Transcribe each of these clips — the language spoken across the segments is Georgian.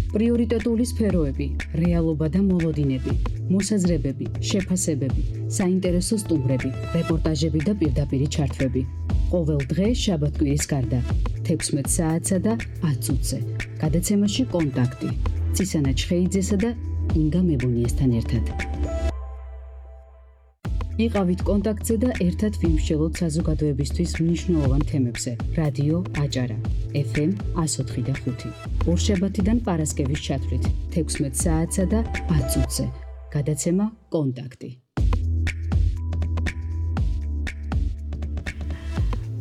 პრიორიტეტული სფეროები, რეალობა და მოლოდინები, მოსაზრებები, შეფასებები, საინტერესო სტუმრები, რეპორტაჟები და პირდაპირი ჩართვები. ყოველ დღე შაბათ-კვირის გარდა 16 საათსა და 10 წუთზე. გადაცემაში კონტაქტი. ცისანა ჩხეიძესა და ინგა მებუნიესთან ერთად. იყავით კონტაქტზე და ერთად ვიმსჯელოთ საზოგადოებისთვის მნიშვნელოვან თემებზე. რადიო აჭარა, FM 104 და 5. ორშაბათიდან პარასკევის ჩათვლით 16 საათსა და 10 წუთზე. გადაცემა კონტაქტი.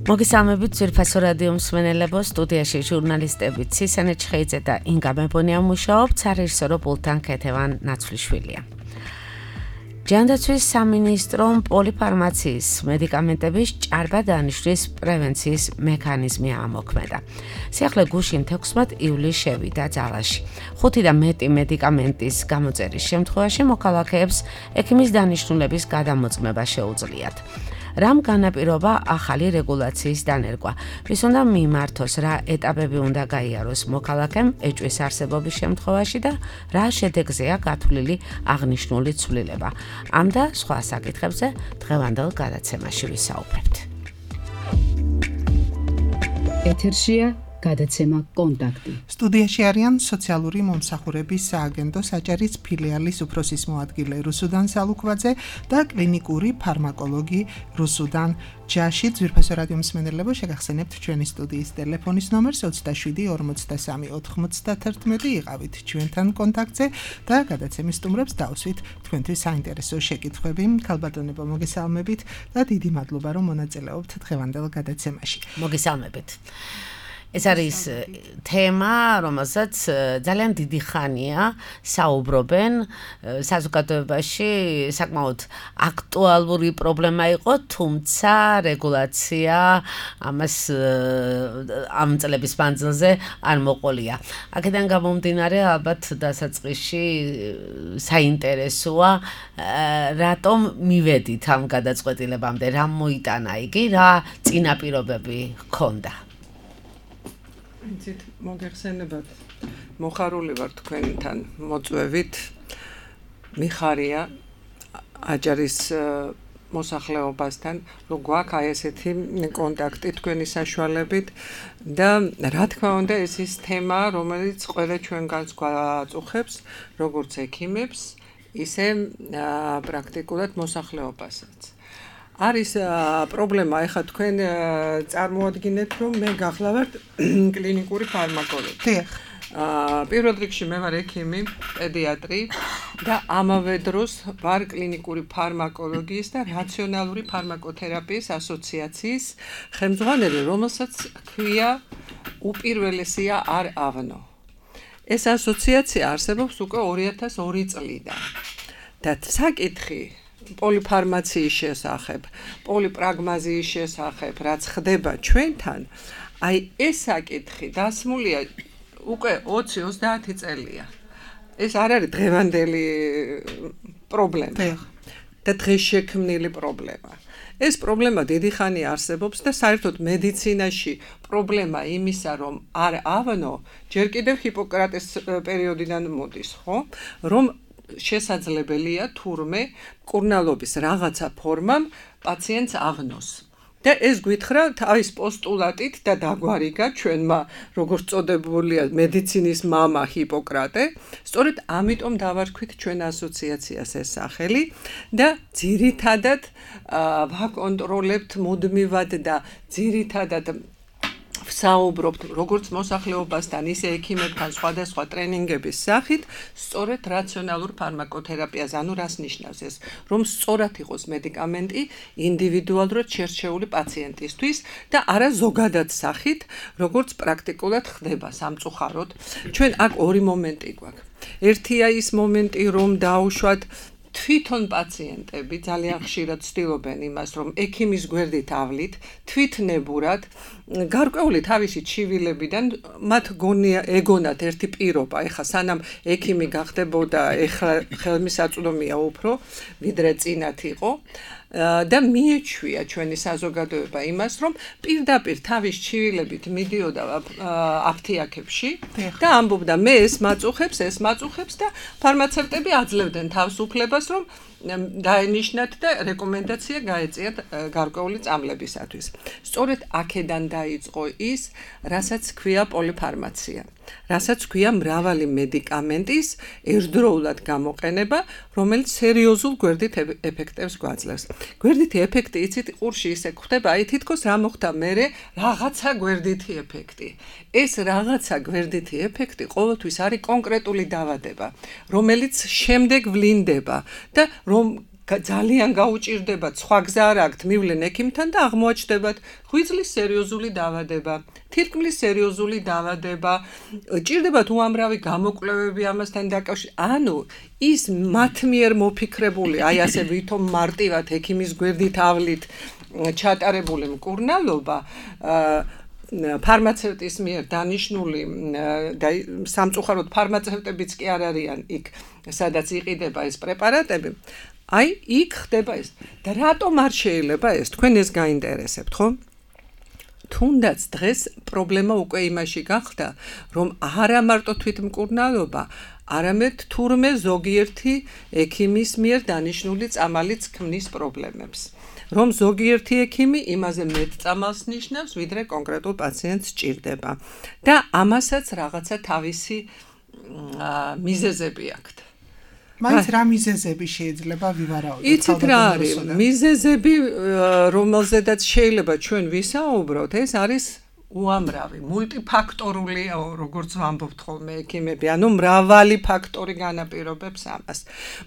მოგესალმებით ძვირფასო რადიო მსმენელებო, სტუდიაში ჟურნალისტები ცისანა ჩხეიძე და ინგა მებუნია მუშაობთ, სარეჟისორო პულტთან ქეთევან ნაცვლიშვილია. ჯანდაცვის სამინისტრომ პოლიფარმაციის მედიკამენტების ჭარბად დანიშვნის პრევენციის მექანიზმი ამოქმედა. სიახლე გუშინ 16 ივლისს შევიდა ძალაში. 5 და მეტი მედიკამენტის გამოწერის შემთხვევაში მოქალაქეებს ექიმის დანიშნულების გადამოწმება შეუძლიათ. რამ განაპირობა ახალი რეგულაციის დანერგვა? ვის უნდა მიმართოს, რა ეტაპები უნდა გაიაროს მოქალაქემ ეჭვის არსებობის შემთხვევაში და რა შედეგზეა გათვლილი აღნიშნული ცვლილება? ამ და სხვა საკითხებზე დღევანდელ გადაცემაში ვისაუბრებთ. ეთერშია გადაცემა კონტაქტი. სტუდიაში არიან სოციალური მომსახურების სააგენტოს აჭარის ფილიალის უფროსის მოადგილე რუსუდან სალუქვაძე და კლინიკური ფარმაკოლოგი რუსუდან ჯაში. ძვირფასო რადიო მსმენელებო, შეგახსენებთ ჩვენი სტუდიის ტელეფონის ნომერს 27 43 91. იყავით ჩვენთან კონტაქტზე და გადაცემის სტუმრებს დავსვით თქვენთვის საინტერესო შეკითხვები. ქალბატონებო, მოგესალმებით და დიდი მადლობა, რომ მონაწილეობთ დღევანდელ გადაცემაში. მოგესალმებით. ეს არის თემა, რომელსაც ძალიან დიდი ხანია საუბრობენ საზოგადოებაში, საკმაოდ აქტუალური პრობლემა იყო, თუმცა რეგულაცია ამას ამ წლების მანძილზე არ მოყოლია. აქედან გამომდინარე, ალბათ დასაწყისში საინტერესოა, რატომ მივედით ამ გადაწყვეტილებამდე, რა მოიტანა იგი, რა წინაპირობები ჰქონდა. იცით, მოგეხსენებათ, მოხარული ვარ თქვენთან მოწვევით. მიხარია აჭარის მოსახლეობასთან, რომ გვაქვს ესეთი კონტაქტი თქვენი საშუალებით და რა თქმა უნდა, ეს ის თემა, რომელიც ყველა ჩვენგანს გვაწუხებს, როგორც ექიმებს, ისე პრაქტიკულად მოსახლეობასაც. არის პრობლემა, ეხლა თქვენ წარმოადგინეთ, რომ მე გახლავართ კლინიკური ფარმაკოლოგი. პირველ რიგში მე ვარ ექიმი, პედიატრი და ამავე დროს ვარ კლინიკური ფარმაკოლოგიის და რაციონალური ფარმაკოთერაპიის ასოციაციის ხელმძღვანელი, რომელსაც ქვია უპირველესია არ ავნო. ეს ასოციაცია არსებობს უკვე 2002 წლიდან და საკითხი პოლიფარმაციის შესახებ, პოლიპრაგმაზიის შესახებ, რაც ხდება ჩვენთან, აი ეს საკითხი დასმულია უკვე 20-30 წელია. ეს არ არის დღევანდელი პრობლემა და დღეს შექმნილი პრობლემა. ეს პრობლემა დიდი ხანი არსებობს და საერთოდ მედიცინაში პრობლემა იმისა, რომ არ ავნო, ჯერ კიდევ ჰიპოკრატეს პერიოდიდან მოდის, ხო? რომ შესაძლებელია თურმე მკურნალობის რაღაცა ფორმამ პაციენტს ავნოს. და ეს გვითხრა თავის პოსტულატით და დაგვარიგა ჩვენმა, როგორც წოდებულია მედიცინის მამა ჰიპოკრატე. სწორედ ამიტომ დავარქვით ჩვენ ასოციაციას ეს სახელი და ძირითადად ვაკონტროლებთ მუდმივად და ძირითადად ვსაუბრობთ როგორც მოსახლეობასთან, ისე ექიმებთან სხვადასხვა ტრენინგების სახით, სწორედ რაციონალურ ფარმაკოთერაპიას, ანუ რას ნიშნავს ეს, რომ სწორად იყოს მედიკამენტი ინდივიდუალურად შერჩეული პაციენტისთვის და არა ზოგადად სახით, როგორც პრაქტიკულად ხდება სამწუხაროდ. ჩვენ აქ ორი მომენტი გვაქვს. ერთია ის მომენტი, რომ დაუშვათ თვითონ პაციენტები ძალიან ხშირად ცდილობენ იმას, რომ ექიმის გვერდით ავლით, თვითნებურად გარკვეული თავისი ჩივილებიდან მათ ეგონათ ერთი პირობა, ეხლა სანამ ექიმი გახდებოდა, ეხლა ხელმისაწვდომია უფრო, ვიდრე წინათ იყო. და მიეჩვია ჩვენი საზოგადოება იმას, რომ პირდაპირ თავის ჩივილებით მიდიოდა აფთიაქებში და ამბობდა მე ეს მაწუხებს და ფარმაცევტები აძლევდნენ თავს უფლებას, რომ დაენიშნათ და რეკომენდაცია გაეწიათ გარკვეული წამლებისათვის. სწორედ აქედან დაიწყო ის, რასაც ქვია პოლიფარმაცია, რასაც ქვია მრავალი მედიკამენტის ერთდროულად გამოყენება, რომელიც სერიოზულ გვერდით ეფექტებს გვაძლევს. გვერდითი ეფექტი იცით ყურში ისე ხდება, აი თითქოს რა მოხდა მერე რაღაცა გვერდითი ეფექტი. ეს რაღაცა გვერდითი ეფექტი ყოველთვის არის კონკრეტული დაავადება, რომელიც შემდეგ ვლინდება და რომ ძალიან გაუჭირდებათ, სხვა გზა არ აქვთ, მივლენ ექიმთან და აღმოაჩნდებათ ღვიძლის სერიოზული დაავადება, თირკმლის სერიოზული დაავადება, ჭირდებათ უამრავი გამოკვლევები ამასთან დაკავშირებით. ანუ ის მათ მიერ მოფიქრებული, აი ასე ვითომ მარტივად ექიმის გვერდით ავლით ჩატარებული მკურნალობა ფარმაცევტის მიერ დანიშნული და სამწუხაროდ ფარმაცევტებიც კი არ არიან იქ, სადაც იყიდება ეს პრეპარატები. აი, იქ ხდება ეს. და რატომ არ შეიძლება ეს? თქვენ ეს გაინტერესებთ, ხო? თუნდაც დღეს პრობლემა უკვე იმაში გახდა, რომ არა მარტო თვითმკურნალობა, არამედ თურმე ზოგიერთი ექიმის მიერ დანიშნული წამალიც ქმნის პრობლემებს. რომ ზოგიერთი ექიმი იმაზე მეტ წამალს ნიშნავს, ვიდრე კონკრეტულ პაციენტს ჭირდება. და ამასაც რაღაცა თავისი მიზეზები აქვთ. მაინც რა მიზეზები შეიძლება ვივარაუდოთ? იცით რა არის? მიზეზები, რომელზედაც შეიძლება ჩვენ ვისაუბროთ, ეს არის უამრავი, მულტიფაქტორული, როგორც ვამბობთ ხოლმე ექიმები, ანუ მრავალი ფაქტორი განაპირობებს ამას.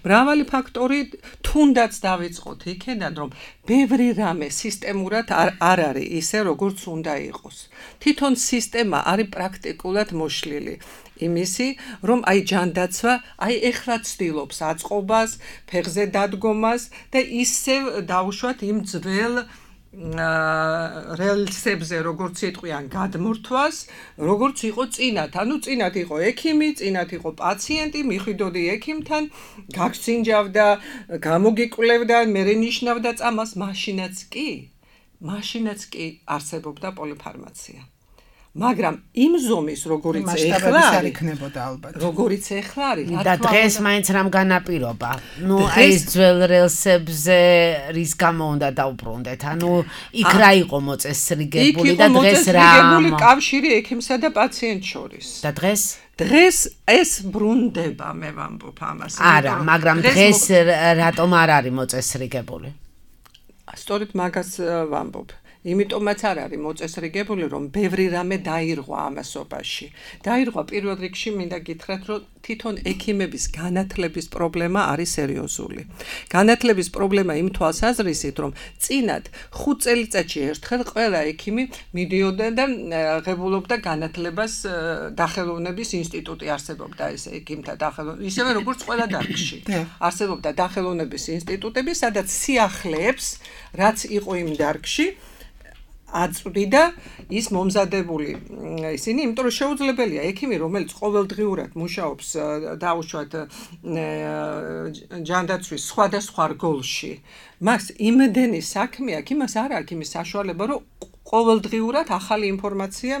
მრავალი ფაქტორი თუნდაც დავიწყოთ იქედან, რომ ბევრი რამე სისტემურად არ არის ისე, როგორც უნდა იყოს. თვითონ სისტემა არის პრაქტიკულად მოშლილი. იმისი, რომ აი ჯანდაცვა, აი ეხლა ცდილობს აწყობას, ფეხზე დადგომას და ისევ დაუშვათ იმ ძველ რელსებზე, როგორც იტყვიან, გადმორთვას, როგორც იყო წინათ. ანუ წინათ იყო ექიმი, წინათ იყო პაციენტი, მიხვიდოდი ექიმთან, გაგსინჯავდა, გამოგიკვლევდა, მერე ნიშნავდა წამალს, მაშინაც კი არსებობდა პოლიფარმაცია. მაგრამ იმ ზომის, როგორიც ეხლა არ იქნებოდა ალბათ. როგორიც ეხლა არის, და დღეს მაინც რამ განაპირობა? ნუ ეს ძველ რელსებზე რის გამო უნდა დაუბრუნდეთ? ანუ იქ რა იყო მოწესრიგებული და დღეს რა? იქ იყო მოწესრიგებული კავშირი ექიმსა და პაციენტს შორის. და დღეს? დღეს ეს ბრუნდება, მე ვამბობ ამას. არა, მაგრამ დღეს რატომ არ არის მოწესრიგებული? სწორედ მაგას ვამბობ. იმიტომაც არ არის მოწესრიგებული, რომ ბევრი რამე დაირღვა ამასობაში. დაირღვა პირველ რიგში მინდა გითხრათ, რომ თვითონ ექიმების განათლების პრობლემა არის სერიოზული. განათლების პრობლემა იმ თვალსაზრისით, რომ წინათ 5 წელიწადში ერთხელ ყველა ექიმი მიდიოდა და ღებულობდა განათლებას, დახელოვნების ინსტიტუტი არსებობდა ეს ექიმთა დახელოვნების, ისევე როგორც ყველა დარგში. არსებობდა დახელოვნების ინსტიტუტები, სადაც სიახლეებს, რაც იყო იმ დარგში, აწვდიდა ის მომზადებული ისინი, იმიტომ რომ შეუძლებელია ექიმი, რომელიც ყოველდღიურად მუშაობს დაუშვათ ჯანდაცვის სხვადასხვა რგოლში, მას იმდენი საქმე აქვს, იმას არ აქვს იმის საშუალება, რომ ყოველდღიურად ახალი ინფორმაცია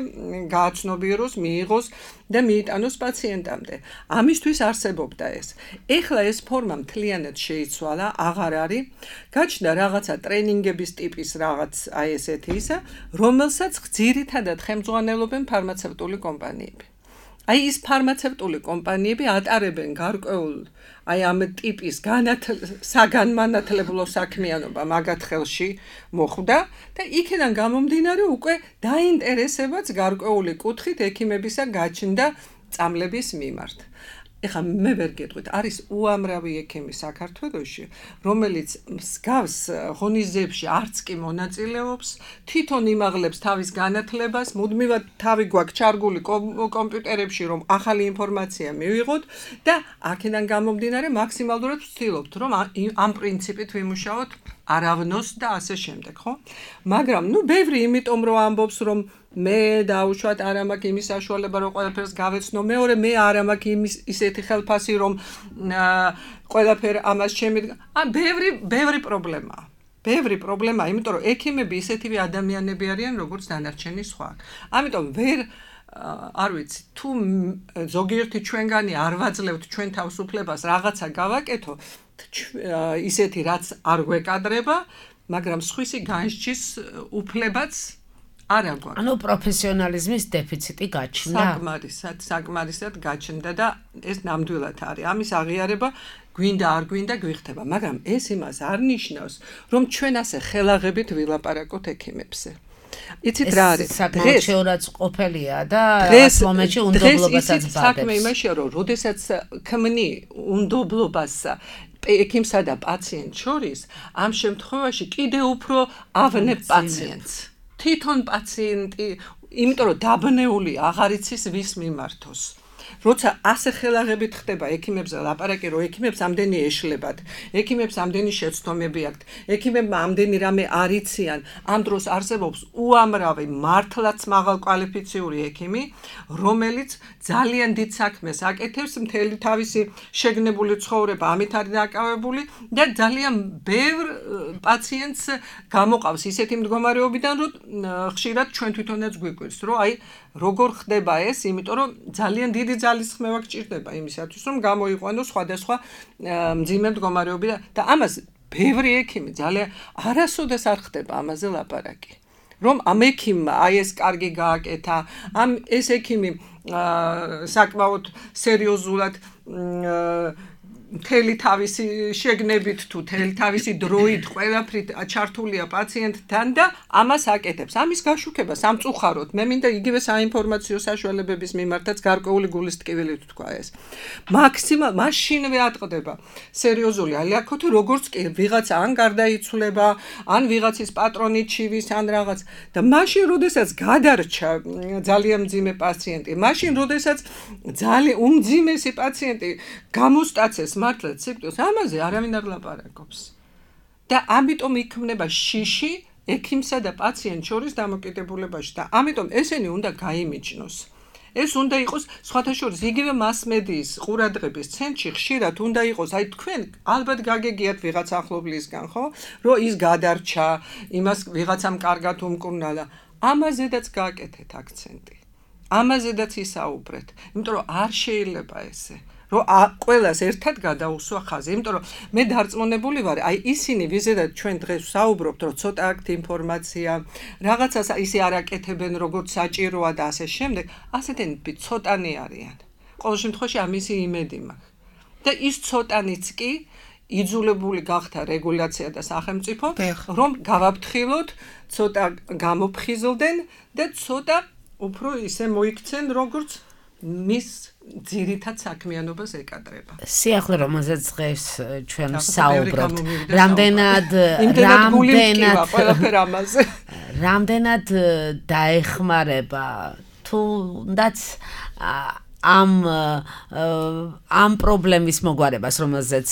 გააცნობიეროს, მიიღოს და მიიტანოს პაციენტამდე. ამისთვის არსებობდა ეს. ეხლა ეს ფორმა მთლიანად შეიცვალა, აღარ არის. გაჩნდა რაღაცა ტრენინგების ტიპის რაღაც აი ესეთი ისა, რომელსაც ძირითადად ხელმძღვანელობენ ფარმაცევტული კომპანიები. აი ის ფარმაცევტული კომპანიები ატარებენ გარკვეულ აი ამ ტიპის საგანმანათლებლო საქმიანობა მაგათ ხელში მოხვდა და იქიდან გამომდინარე უკვე დაინტერესებაც გარკვეული კუთხით ექიმებისა გაჩნდა წამლების მიმართ. ეხლა მე ვერ გეტყვით, არის უამრავი ექიმი საქართველოში, რომელიც მსგავს ღონისძიებებში არც კი მონაწილეობს, თვითონ იმაღლებს თავის განათლებას, მუდმივად თავი გვაქვს ჩარგული კომპიუტერებში, რომ ახალი ინფორმაცია მივიღოთ და აქედან გამომდინარე მაქსიმალურად ვცდილობთ, რომ ამ პრინციპით ვიმუშაოთ არავნოს და ასე შემდეგ, ხო? მაგრამ ბევრი იმიტომ რომ ამბობს, რომ მე დაუშვათ არ მაქვს იმის საშუალება რომ ყველაფერს გავეცნო, მეორე მე არ მაქვს იმის ისეთი ხელფასი რომ ყველაფერ ამას ჩემი ბევრი პრობლემაა. ბევრი პრობლემაა, იმიტომ რომ ექიმები ისეთივე ადამიანები არიან, როგორც დანარჩენი სხვა. ამიტომ არ ვიცი, თუ ზოგიერთი ჩვენგანი არ ვაძლევთ ჩვენ თავისუფლებას რაღაცა გავაკეთო, ისეთი რაც არ გვეკადრება, მაგრამ სხვისი განსჯის უფლებაც არა გვაქვს. ანუ პროფესიონალიზმის დეფიციტი გაჩნდა. საკმარისად გაჩნდა და ეს ნამდვილად არის. ამის აღიარება გვინდა არ გვინდა გვიხდება, მაგრამ ეს იმას არ ნიშნავს, რომ ჩვენ ასე ხელაღებით ვილაპარაკოთ ექიმებზე. იცით რა არის? საკმაოდ შეურაცხყოფელია და ამ მომენტში უნდობლობასაც ბადებს. საქმე იმაშია, რომ როდესაც ქმნი უნდობლობას ექიმსა და პაციენტს შორის, ამ შემთხვევაში კიდე უფრო ავნებ პაციენტს. თვითონ პაციენტი, იმიტომ რომ დაბნეული აღარ იცის ვის მიმართოს. როცა ასე ხელაღებით ხდება ექიმებზე ლაპარაკი, რომ ექიმებს ამდენი ეშლებათ, ექიმებს ამდენი შეცდომები აქვთ, ექიმებმა ამდენი რამე არ იციან, ამ დროს არსებობს უამრავი მართლაც მაღალკვალიფიციური ექიმი, რომელიც ძალიან დიდ საქმეს აკეთებს, მთელი თავისი შეგნებული ცხოვრება ამით არის დაკავებული და ძალიან ბევრ პაციენტს გამოყავს ისეთი მდგომარეობიდან, რომ ხშირად ჩვენ თვითონაც გვიკვირს, რომ აი როგორ ხდება ეს, იმიტომ რომ ძალიან დიდი ძალისხმევა გჭირდება იმისათვის, რომ გამოიყვანოს სხვადასხვა მძიმე მდგომარეობები და ამას ბევრი ექიმი ძალიან არასოდეს არ ხდება ამაზე ლაპარაკი. რომ ამ ექიმმა აი ეს კარგი გააკეთა, ეს ექიმი საკმაოდ სერიოზულად მთელი თავისი შეგნებით თუ მთელი თავისი დროით ყველაფრით ჩართულია პაციენტთან და ამას აკეთებს. ამის გაშუქება სამწუხაროდ. მე მინდა იგივე საინფორმაციო საშუალებების მიმართაც გარკვეული გულის ტკივილით თქვა ეს. მაშინვე ატყდება სერიოზული ალიაქოთი, როგორც კი ვიღაცა ან გარდაიცვლება, ან ვიღაცის პატრონი ჩივის, ან რაღაც და მაშინ როდესაც გადარჩა ძალიან მძიმე პაციენტი, მაშინ როდესაც ძალიან უმძიმესი პაციენტი გამოსტაცეს მართლაც სიკვდილს, ამაზე არავინ არ ლაპარაკობს. და ამიტომ იქმნება შიში ექიმსა და პაციენტს შორის დამოკიდებულებაში და ამიტომ ესენი უნდა გაიმიჯნოს. ეს უნდა იყოს სხვათა შორის იგივე მასმედიის ყურადღების ცენტრში ხშირად უნდა იყოს, აი თქვენ ალბათ გაგეგიათ ვიღაც ახლობლისგან, ხო? რომ ის გადარჩა, იმას ვიღაცამ კარგად უმკურნალა. ამაზედაც გააკეთეთ აქცენტი. ამაზედაც ისაუბრეთ, იმიტომ რომ არ შეიძლება ესე. რომ ყველას ერთად გადაუსვა ხაზი, იმიტომ რომ მე დარწმუნებული ვარ, აი ისინი ვიზედაც ჩვენ დღეს ვსაუბრობთ, რომ ცოტა აქვთ ინფორმაცია, რაღაცას ისე არ აკეთებენ, როგორც საჭიროა და ასე შემდეგ, ასეთები ცოტანი არიან. ყოველ შემთხვევაში ამისი იმედი მაქვს. და ის ცოტანიც კი იძულებული გახდა რეგულაცია და სახელმწიფო, რომ გავაფრთხილოთ, ცოტა გამოფხიზლდნენ და ცოტა უფრო ისე მოიქცენ, როგორც მის ძირითად საქმიანობას ეკადრება. სიახლე რომელზეც დღეს ჩვენ საუბრობთ, რამდენად დაეხმარება თუნდაც ამ პრობლემის მოგვარებას, რომელზეც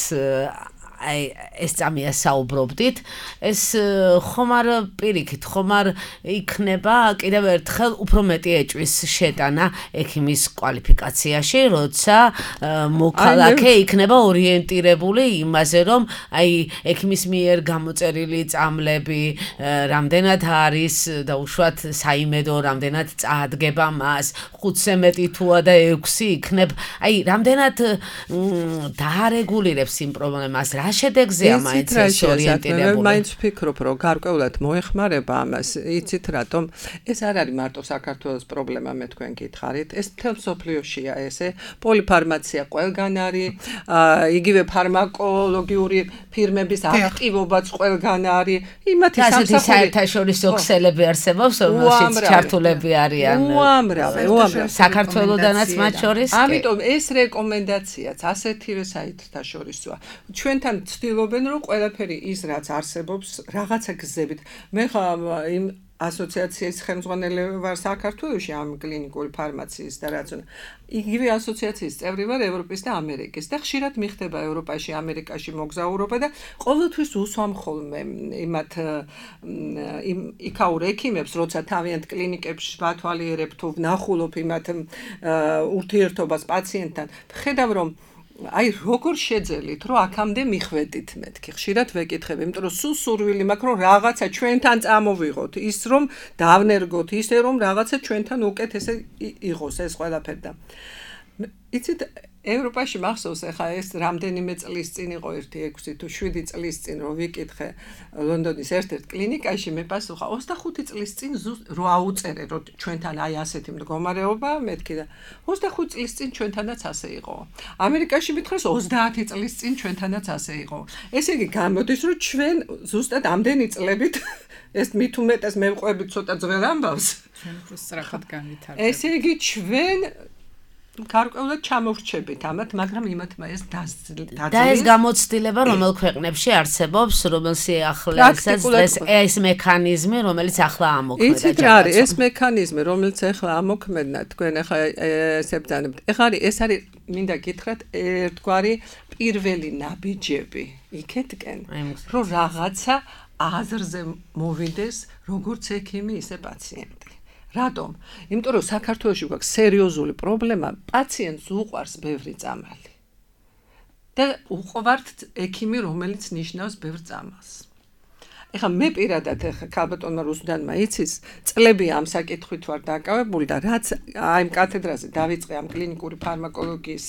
აი ეს წამია საუბრობდით, ეს ხომ არ პირიქით, ხომ არ იქნება კიდევ ერთხელ უფრო მეტი ეჭვის შეტანა ექიმის კვალიფიკაციაში, როცა მოქალაქე იქნება ორიენტირებული იმაზე, რომ აი ექიმის მიერ გამოწერილი წამლები რამდენად არის და უშუალოდ საიმედო რამდენად წაადგება მას, 5-ზე მეტი თუა და 6 იქნებ, აი რამდენად დაარეგულირებს იმ პრობლემას, რა რა შედეგზეა მაინც ეს ორიენტირებული? მაინც ვფიქრობ, რომ გარკვეულად მოეხმარება ამას. იცით რატომ? ეს არ არის მარტო საქართველოს პრობლემა, მე თქვენ გითხარით. ეს მთელ მსოფლიოშია ესე. პოლიფარმაცია ყველგან არის, იგივე ფარმაკოლოგიური ფირმების აქტივობაც ყველგან არის. იმათი სამსახური საერთაშორისო ქსელები არსებობს, რომელშიც ჩართულები არიან. უამრავი. საქართველოდანაც მათ შორის. ამიტომ ეს რეკომენდაციაც ასეთივე საერთაშორისოა. ჩვენთან ცდილობენ, რომ ყველაფერი ის რაც არსებობს, რაღაცა გზებით. მე იმ ასოციაციის ხელმძღვანელი ვარ საქართველოში ამ კლინიკური ფარმაციის და რაც უნდა. იგივე ასოციაციის წევრი ვარ ევროპის და ამერიკის და ხშირად მიხდება ევროპაში, ამერიკაში მოგზაურობა და ყოველთვის უსვამ ხოლმე იმათ იქაურ ექიმებს, როცა თავიანთ კლინიკებში ვათვალიერებ თუ ვნახულობ იმათ ურთიერთობას პაციენტთან. ხედავ რომ აი როგორ შეძელით რომ აქამდე მიხვედით მეთქი ხშირად ვეკითხებ იმიტომ რომ სულ სურვილი მაქვს რომ რაღაცა ჩვენთან წამოვიღოთ ის რომ დავნერგოთ ისე რომ რაღაცა ჩვენთან უკეთესე იყოს ეს ყველაფერი და იცით ევროპაში მახსოვს ახლა ეს რამდენიმე წლის წინ იყო 6 თუ 7 წლის წინ რომ ვიკითხე ლონდონის ერთ-ერთ კლინიკაში მე პასუხა 25 წლის წინ რო აუწერე რომ ჩვენთან აი ასეთი მდგომარეობა მეთქი და 25 წლის წინ ჩვენთანაც ასე იყო ამერიკაში მითხრეს 30 წლის წინ ჩვენთანაც ასე იყო ესე იგი გამოდის რომ ჩვენ ზუსტად ამდენი წლებით ეს მით უმეტეს მევყვებით ცოტა ძველ ამბავს ჩვენ უფრო სწრაფად განვითარდება ესე იგი ჩვენ გარკვეულად ჩამოვრჩებით ამათ, მაგრამ იმათმა ეს დაძლევა. და ეს გამოცდილება რომელ ქვეყნებში არსებობს, რომელ სიახლესაც დღეს ეს მექანიზმი, რომელიც ახლა ამოქმედა. იცით რა არის ეს მექანიზმი, რომელიც ახლა ამოქმედა, თქვენ ახლა ესე ბრძანებთ. ეს არის მინდა გითხრათ ერთგვარი პირველი ნაბიჯები იქეთკენ, რომ რაღაცა აზრზე მოვიდეს, როგორც ექიმი, ისე პაციენტი. რატომ? იმიტომ რომ საქართველოში გვაქვს სერიოზული პრობლემა, პაციენტს უყვარს ბევრი წამალი. და უყვართ ექიმი, რომელიც ნიშნავს ბევრ წამალს. ეხლა მე პირადად ქალბატონმა რუსუდანმა იცის, წლები ამ საკითხვით ვარ დაკავებული და რაც აი ამ კათედრაზე დავიწყე ამ კლინიკური ფარმაკოლოგიის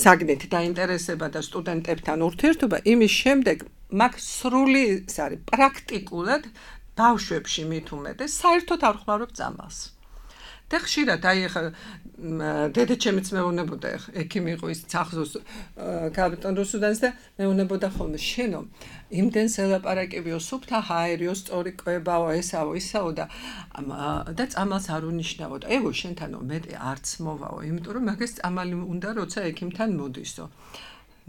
საგნით დაინტერესება და სტუდენტებთან ურთიერთობა, იმის შემდეგ მაგ სრული ის არის პრაქტიკულად ბავშვებში მით უმეტეს საერთოდ არ ხმარობ წამალს. და ხშირად აი ახლა დედაჩემიც მეუნებოდა ექიმი იყო ის ახსოვს ქალბატონ რუსუდანს და მეუნებოდა ხოლმე შენო იმდენს ელაპარაკებიო სუფთა ჰაერიო სწორი კვებაო ესაო ისაო და წამალს არ უნიშნავო და ეგო შენთანო მეტი არც მოვაო იმიტომ რომ მაგას წამალი უნდა როცა ექიმთან მოდისო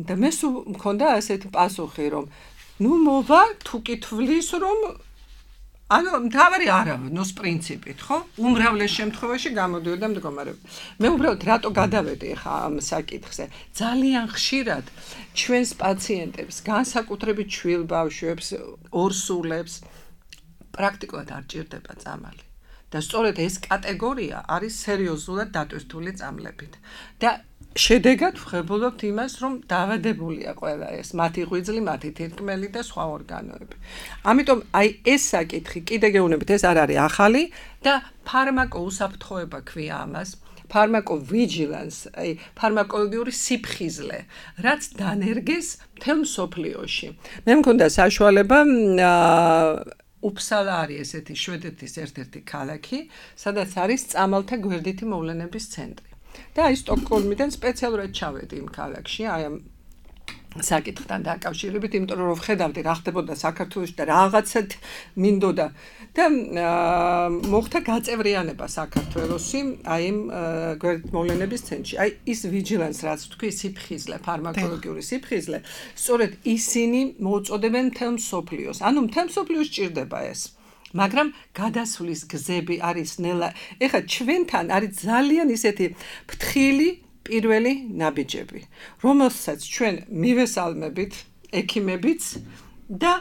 და მე სულ მქონდა ასეთი პასუხი რომ ნუ მოვა თუ კითხვის რომ ანუ მთავარი არავნოს პრინციპით, ხო? უმრავლეს შემთხვევაში გამოდიოდა მდგომარეობა. მე უბრალოდ რატო გადავედი ხა ამ საკითხზე? ძალიან ხშირად ჩვენს პაციენტებს, განსაკუთრებით ჩვილ ბავშვებს, ორსულებს პრაქტიკულად არ ჭირდება წამალი. და სწორედ ეს კატეგორია არის სერიოზულად დატვირთული წამლებით. და შედეგად ვხებულობთ იმას, რომ დაავადებულია ყველა ეს, მათი ღვიძლი, მათი თირკმელი და სხვა ორგანოები. ამიტომ აი ეს საკითხი კიდე გეუბნებით, ეს არ არის ახალი და ფარმაკოუსაფრთხოება ქვია ამას. ფარმაკოვიჯილანს, აი ფარმაკოლოგიური სიფხიზლე, რაც დანერგეს მთელ მსოფლიოში. მე მქონდა საშუალება უფსალა არის ესეთი შვედეთის ერთ-ერთი ქალაქი, სადაც არის წამალთა გვერდითი მოვლენების ცენტრი. და აი სტოკჰოლმიდან სპეციალურად ჩავედი იმ ქალაქში, აი ამ საკითხთან დაკავშირებით, იმიტომ რომ ვხედავდი რა ხდებოდა საქართველოში და რაღაცად მინდოდა და მოხდა გაწევრიანება საქართველოსი, აი იმ გვერდით მოვლენების ცენტრში. აი ის ვიჯილანს, რაც თქვი, სიფხიზლე, ფარმაკოლოგიური სიფხიზლე, სწორედ ისინი მოუწოდებენ მთელ მსოფლიოს. ანუ მთელ მსოფლიოს ჭირდება ეს. მაგრამ გადასვლის გზები არის ნელა. ეხლა ჩვენთან არის ძალიან ისეთი ფრთხილი პირველი ნაბიჯები, რომელსაც ჩვენ მივესალმებით ექიმებიც და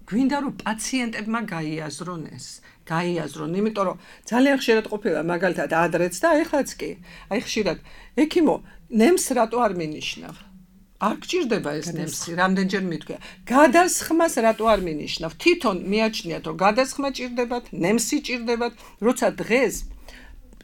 გვინდა რომ პაციენტებმა გაიაზრონ ეს. გაიაზრონ, იმიტომ რომ ძალიან ხშირად ყოფილა მაგალითად ადრეც და ეხლაც კი. აი ხშირად ექიმო, ნემს რატო არ მინიშნავ? არ გჭირდება ეს ნემსი, რამდენჯერ მითქვია. გადასხმას რატო არ მინიშნავ? თვითონ მიაჩნიათ, რომ გადასხმა ჭირდებათ, ნემსი ჭირდებათ, როცა დღეს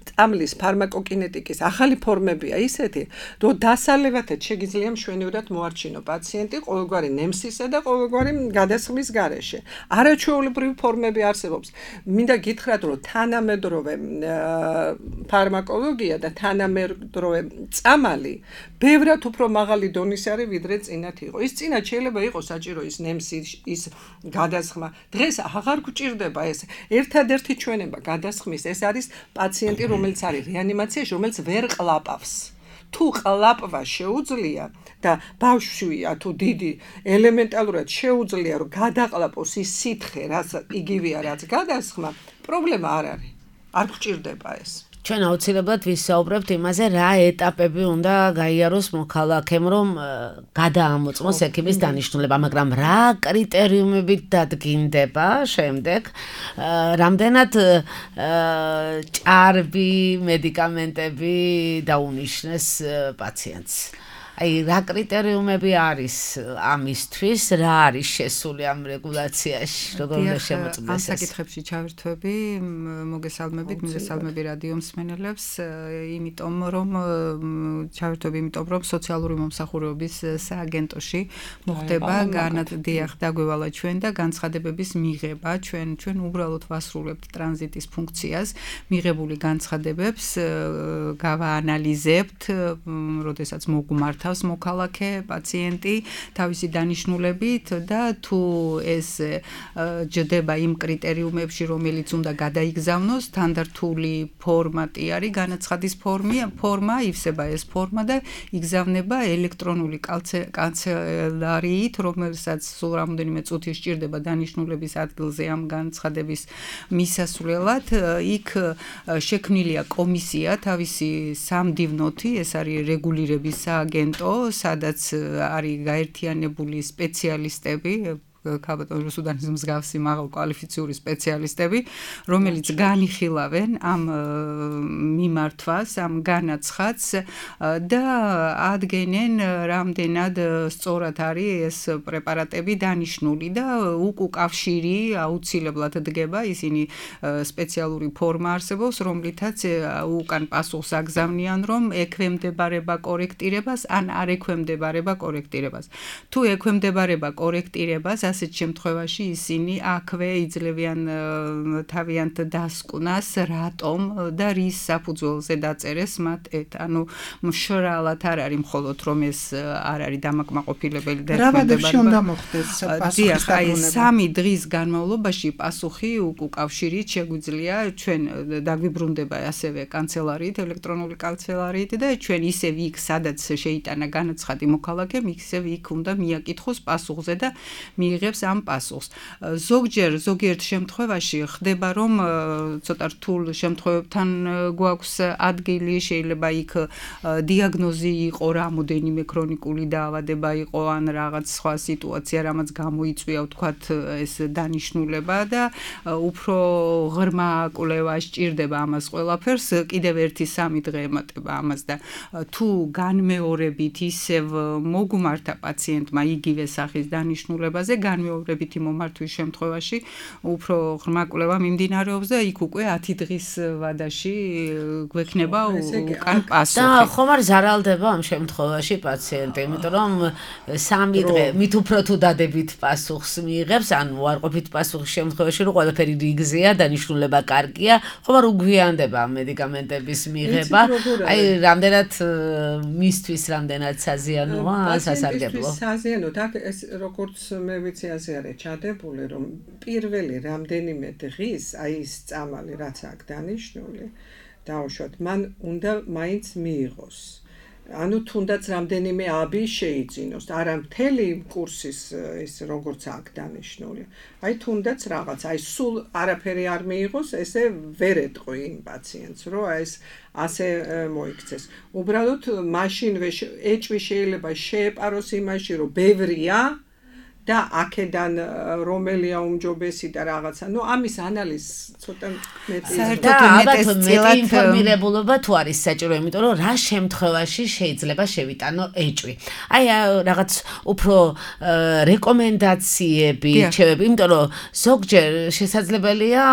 წამლის ფარმაკოკინეტიკის ახალი ფორმებია ისეთი, რომ დასალევათად შეგიძლია მშვენივრად მოარჩინო პაციენტი ყოველგვარი ნემსისა და ყოველგვარი გადასხმის გარეშე. არაჩვეულებრივი ფორმები არსებობს. მინდა გითხრათ, რომ თანამედროვე ფარმაკოლოგია და თანამედროვე წამალი ბევრად უფრო მაღალი დონის არის, ვიდრე წინათ იყო. ის წინათ შეიძლება იყოს საჭირო ის ნემსი, ის გადასხმა. დღეს აღარ გვჭირდება ეს. ერთადერთი ჩვენება გადასხმის ეს არის პაციენტი, რომელიც არის რეანიმაციაში, რომელიც ვერ ყლაპავს. თუ ყლაპვა შეუძლია და ბავშვია თუ დიდი ელემენტალურად შეუძლია რომ გადაყლაპოს ის სითხე, რაც იგივეა, რაც გადასხმა, პრობლემა არ არის. არ გვჭირდება ეს. ჩვენ აუცილებლად ვისაუბრებთ იმაზე, რა ეტაპები უნდა გაიაროს მოქალაქემ, რომ გადაამოწმოს ექიმის დანიშნულება, მაგრამ რა კრიტერიუმებით დადგინდება შემდეგ, რამდენად ჭარბი მედიკამენტები დაუნიშნეს პაციენტს. Აი, რა კრიტერიუმები არის ამისთვის, რა არის შესული ამ რეგულაციაში, როგორ უნდა შემოწმდეს ეს? ამ საკითხებში ჩავერთვები, მოგესალმებით, მოგესალმები რადიო მსმენელებს, იმიტომ რომ სოციალური მომსახურების სააგენტოში მოხდება განადიახ დაგვევალა ჩვენ და განცხადებების მიღება, ჩვენ უბრალოდ ვასრულებთ ტრანზიტის ფუნქციას, მიღებული განცხადებებს გავაანალიზებთ, როდესაც მოგმართ მოქალაქე პაციენტი თავისი დანიშნულებით და თუ ეს ჯდება იმ კრიტერიუმებში, რომელიც უნდა გადაიგზავნოს, სტანდარტული ფორმატი არის განაცხადის ფორმა, ივსება ეს ფორმა და იგზავნება ელექტრონული კანცელარიით, რომელსაც სულ რამოდენიმე წუთი სჭირდება დანიშნულების ადგილზე ამ განცხადების მისასვლელად. იქ შექმნილია კომისია, თავისი სამდივნოთი, ეს არის რეგულირების სააგენტო, სადაც არის გაერთიანებული სპეციალისტები, ქალბატონ რუსუდანის მსგავსი მაღალ კვალიფიციური სპეციალისტები, რომელიც განიხილავენ ამ მიმართვას, ამ განაცხადს და ადგენენ რამდენად სწორად არის ეს პრეპარატები დანიშნული და უკავშირი აუცილებლად დგება, ისინი სპეციალური ფორმა არსებობს, რომლითაც უკან პასუხს აგზავნიან, რომ ექვემდებარება კორექტირებას ან არ ექვემდებარება კორექტირებას. თუ ექვემდებარება კორექტირებას, ასეთ შემთხვევაში ისინი აქვე იძლევიან თავიანთ დასკვნას, რატომ და რის საფუძველზე დაწერეს მათ ეთ. ანუ მშრალად არ არის მხოლოდ რომ ეს არ არის დამაკმაყოფილებელი და რა უნდა მოხდეს პასუხის დაბრუნება. 3 დღის განმავლობაში პასუხი უკავშირით შეგვიძლია ჩვენ დაგვიბრუნდება ასევე კანცელარიით, ელექტრონული კანცელარიით და ჩვენ ისევ იქ, სადაც შეიტანა განაცხადი მოქალაქემ, ისევ იქ უნდა მიაკითხოს პასუხზე და მიიღოს ამ პასუხს. ზოგიერთ შემთხვევაში ხდება, რომ ცოტა რთულ შემთხვევებთან გვაქვს ადგილი, შეიძლება იქ დიაგნოზი იყო, რამოდენიმე ქრონიკული დაავადება იყო, ან რაღაც სხვა სიტუაცია, რამაც გამოიწვია, ვთქვათ, ეს დანიშნულება და უფრო ღრმა კვლევა სჭირდება ამას ყველაფერს, კიდევ 1-3 დღე ემატება ამას და თუ განმეორებით ისევ მოგმართა პაციენტმა იგივე სახის დანიშნულებაზე, განმეორებითი მომართვის შემთხვევაში უფრო ღრმა კვლევა მიმდინარეობს და იქ უკვე 10 დღის ვადაში გვექნება უკან პასუხი. და ხომ არ ზარალდება ამ შემთხვევაში პაციენტი, იმიტომ რომ 3 დღე მით უფრო თუ დადებით პასუხს მიიღებს, ან უარყოფით პასუხის შემთხვევაში, რომ ყველაფერი რიგზეა, დანიშნულება კარგია, ხომ არ უგვიანდება მედიკამენტების მიღება. აი, რამდენად მისთვის რამდენად საზიანოა, სასარგებლო. საზიანო, და ეს როგორც მე ვიცი ასე არის ჩადებული, რომ პირველი რამდენიმე დღის აი ეს წამალი რაც აქ დანიშნული, დაუშვათ, მან უნდა მაინც მიიღოს. ანუ თუნდაც რამდენიმე აბი შეიძინოს, არა მთელი კურსის ის როგორც აქ დანიშნული. აი თუნდაც რაღაც, აი სულ არაფერი არ მიიღოს, ესე ვერ ეტყვი იმ პაციენტს, რომ აი ეს ასე მოიქცეს. უბრალოდ მაშინვე ეჭვი შეიძლება შეეპაროს იმაში, რომ ბევრია და აქედან რომელია უმჯობესი და რაღაცა. ამის ანალიზს ცოტა მეტი და ალბათ მეტი ინფორმირებულობა თუ არის საჭირო, იმიტომ რომ რა შემთხვევაში შეიძლება შევიტანო ეჭვი. აი რაღაც უფრო რეკომენდაციები, რჩევები, იმიტომ რომ ზოგჯერ შესაძლებელია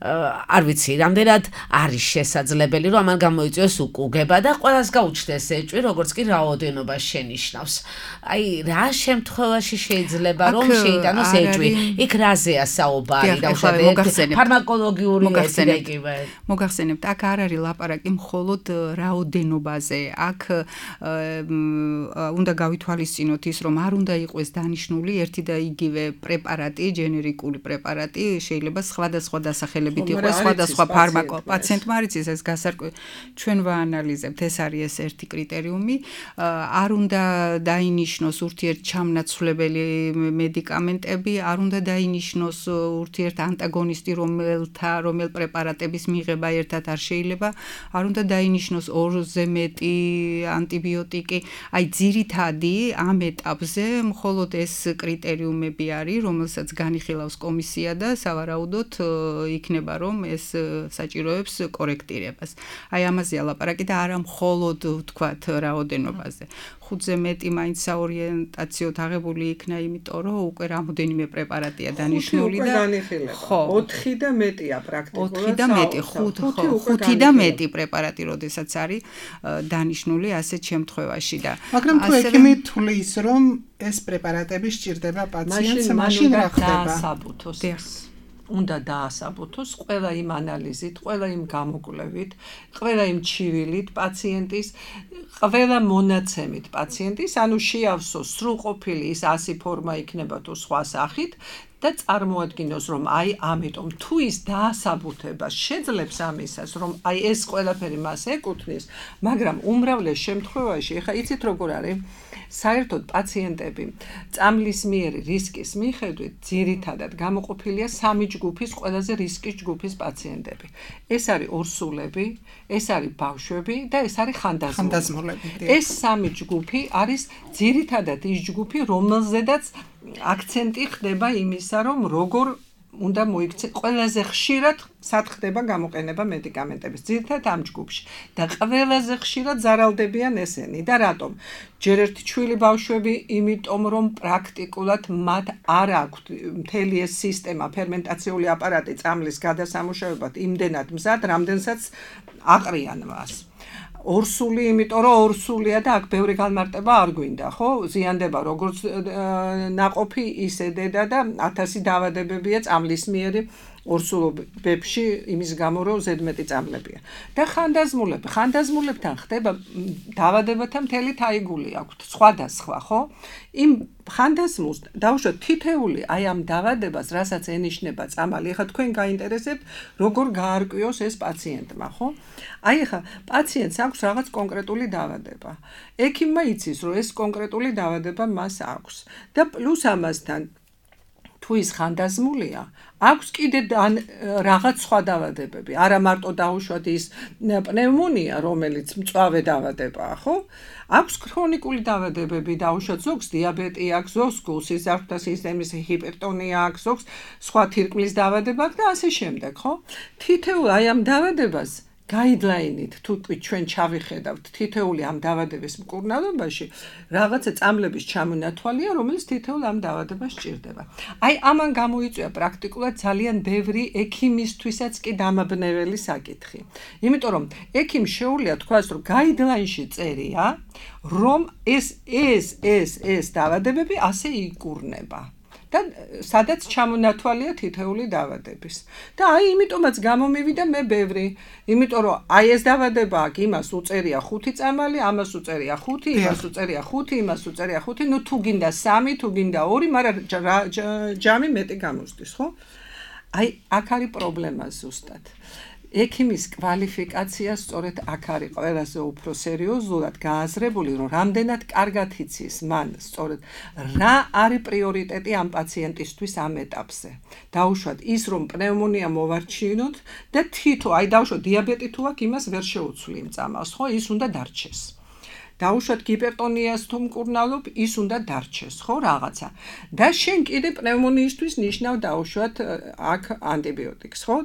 არ ვიცი, რამდენად არის შესაძლებელი, რომ ამან გამოიწვიოს უკუგება და ყველას გაუჩნდეს ეჭვი, როგორც კი რაოდენობა შენიშნავს. აი, რა შემთხვევაში შეიძლება რომ შეიტანოს ეჭვი? იქ რაზეა საუბარი, დავუშვათ, ფარმაკოლოგიური ეტიკეტი. მოგახსენებთ, აქ არ არის ლაპარაკი მხოლოდ რაოდენობაზე. აქ უნდა გავითვალისწინოთ ის, რომ არ უნდა იყოს დანიშნული ერთი და იგივე პრეპარატი, ჯენერიკული პრეპარატი, შეიძლება სხვადასხვა დასახელებით იყოს სხვადასხვა ფარმაკო. პაციენტმა არ იცის ეს გასარკვევი. ჩვენ ვაანალიზებთ, ეს არის ეს ერთი კრიტერიუმი. არ უნდა დაინიშნოს ურთიერთჩამნაცვლებელი მედიკამენტები, არ უნდა დაინიშნოს ურთიერთ ანტაგონისტი, რომელ პრეპარატების მიღება ერთად არ შეიძლება, არ უნდა დაინიშნოს ორზე მეტი ანტიბიოტიკი. აი ძირითადი ამ ეტაპზე მხოლოდ ეს კრიტერიუმები არის, რომელსაც განიხილავს კომისია და სავარაუდოდ იქნება რომ ეს საჭიროებს კორექტირებას. აი ამაზეა ლაპარაკი და არა მხოლოდ ვთქვათ რაოდენობაზე. 5-ზე მეტი მაინც საორიენტაციოდ აღებული იქნა, იმიტომ რომ უკვე რამოდენიმე პრეპარატია დანიშნული და 4 და მეტია პრაქტიკულად. 4 და მეტი, 5 და მეტი პრეპარატი, როდესაც არის დანიშნული ასეთ შემთხვევაში და მაგრამ თუ ექიმი თulis რომ ეს პრეპარატები სჭირდება პაციენტს, მაშინ რა ხდება? უნდა დაასაბუთოს ყველა იმ ანალიზით, ყველა იმ გამოკვლევით, ყველა იმ ჩივილით პაციენტის, ყველა მონაცემით პაციენტის, ანუ შეავსოს სრულყოფილი ის 100 ფორმა იქნება თუ სხვა სახით და წარმოადგინოს რომ აი ამიტომ თუ ის დაასაბუთება შეძლებს ამისას რომ აი ეს ყველაფერი მას ეკუთვნის, მაგრამ უმრავლეს შემთხვევაში, ეხა იცით როგორ არის, საერთოდ პაციენტები წამლის მიერი რისკის მიხედვით ძირითადად გამოყოფილია 3 ჯგუფის ყველაზე რისკის ჯგუფის პაციენტები. ეს არის ორსულები, ეს არის ბავშვები და ეს არის ხანდაზმულები. ეს 3 ჯგუფი არის ძირითადად ის ჯგუფი, რომელზედაც აქცენტი ხდება იმისა, რომ როგორ უნდა მოიქცეთ ყველაზე ხშირად სად ხდება გამოყენება მედიკამენტების ძირითადად ამ ჯგუფში და ყველაზე ხშირად ზარალდებიან ესენი და რატომ? ჯერ ერთი ჩვილი ბავშვები, იმიტომ რომ პრაქტიკულად მათ არ აქვთ მთელი ეს სისტემა, ფერმენტაციული აპარატი წამლის გადასამუშავებლად იმდენად მზად, რამდენსაც აყრიან მას. ორსული, იმიტომ რომ ორსულია და აქ ბევრი განმარტება არ გვინდა, ხო? ზიანდება როგორც ნაყოფი, ისე დედა და 1000 დაავადებებია წამლის მიერი ორსულობებში იმის გამო რომ ზედმეტი წამლებია. და ხანდაზმულებთან ხდება დაავადებათა მთელი თაიგული აქვთ, სხვადასხვა, ხო? იმ ხანდაზმულს დავუშვათ თითეული აი ამ დაავადებას, რასაც ენიშნება წამალი. ეხლა თქვენ გაინტერესებთ, როგორ გაარკვიოს ეს პაციენტმა, ხო? აი ეხლა პაციენტს აქვს რაღაც კონკრეტული დაავადება. ექიმმა იცის, რომ ეს კონკრეტული დაავადება მას აქვს და პლუს ამასთან თუ ის ხანდაზმულია, აქვს კიდე რაღაც სხვა დაავადებები, არა მარტო დაუშვათ ის პნევმონია, რომელიც მწვავე დაავადებაა, ხო? აქვს ქრონიკული დაავადებები, დაუშვათ ზოგს დიაბეტი აქვს, ზოგს გულსიზარდთა სისტემის ჰიპერტონია აქვს, ზოგს სხვა თირკმლის დაავადება აქვს და ასე შემდეგ, ხო? თითოეულ აი ამ დაავადებას გაიდლაინით თუ ჩვენ ჩავიხედავთ თითოეული ამ დაავადების მკურნალობაში რაღაცა წამლების ჩამონათვალია, რომელიც თითოეულ ამ დაავადებას სჭირდება. აი ამან გამოიწვია პრაქტიკულად ძალიან ბევრი ექიმისთვისაც კი დამაბნეველი საკითხი. იმიტომ რომ ექიმს შეუძლია თქვას, რომ გაიდლაინში წერია, რომ ეს დაავადებები ასე იკურნება. და სადაც ჩამონათვალია თითოეული დაავადების. და აი იმიტომაც გამომივიდა მე ბევრი, იმიტომ რომ აი ეს დაავადება აქ იმას უწერია 5 წამალი, ამას უწერია 5, იმას უწერია 5, იმას უწერია 5, ნუ თუ გინდა 3, თუ გინდა 2, მაგრამ ჯამი მეტი გამოსდის, ხო? აი აქ არის პრობლემა ზუსტად. ექიმის კვალიფიკაცია სწორედ აქ არის ყველაზე უფრო სერიოზულად გააზრებული, რომ რამდენად კარგად იცის მან სწორედ რა არის პრიორიტეტი ამ პაციენტისთვის ამ ეტაპზე. დაუშვათ ის, რომ პნევმონია მოვარჩინოთ და თითო, აი დაუშვათ დიაბეტი თუ აქვს, იმას ვერ შეუცვლი იმ წამალს, ხო? ის უნდა დარჩეს. დაუშვათ გიპერტონიას თუ მკურნალობ, ის უნდა დარჩეს, ხო, რაღაცა. და შენ კიდე პნევმონიისთვის ნიშნავ დაუშვათ აქ ანტიბიოტიკს, ხო?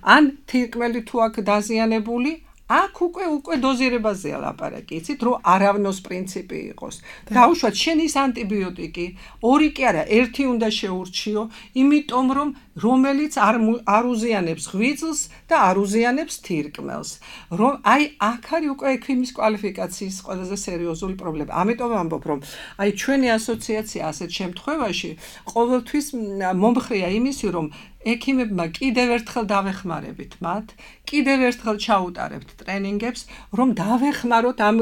ან თირკმელი თუ აქ დაზიანებული, აქ უკვე დოზირებაზეა ლაპარაკი, იცით, რომ არავნოს პრინციპი იყოს. დაუშვათ შენ ის ანტიბიოტიკი, ორი კი არა, ერთი უნდა შეურჩიო, იმიტომ რომ რომელიც არ უზიანებს ღვიძლს და არ უზიანებს თირკმელს. რომ აი აქ არის უკვე ექიმის კვალიფიკაციის ყველაზე სერიოზული პრობლემა. ამიტომ ვამბობ, რომ აი ჩვენი ასოციაცია ასეთ შემთხვევაში ყოველთვის მომხრეა იმისი, რომ ექიმებმა კიდევ ერთხელ დავეხმარებით მათ, კიდევ ერთხელ ჩაუტარებთ ტრენინგებს, რომ დავეხმაროთ ამ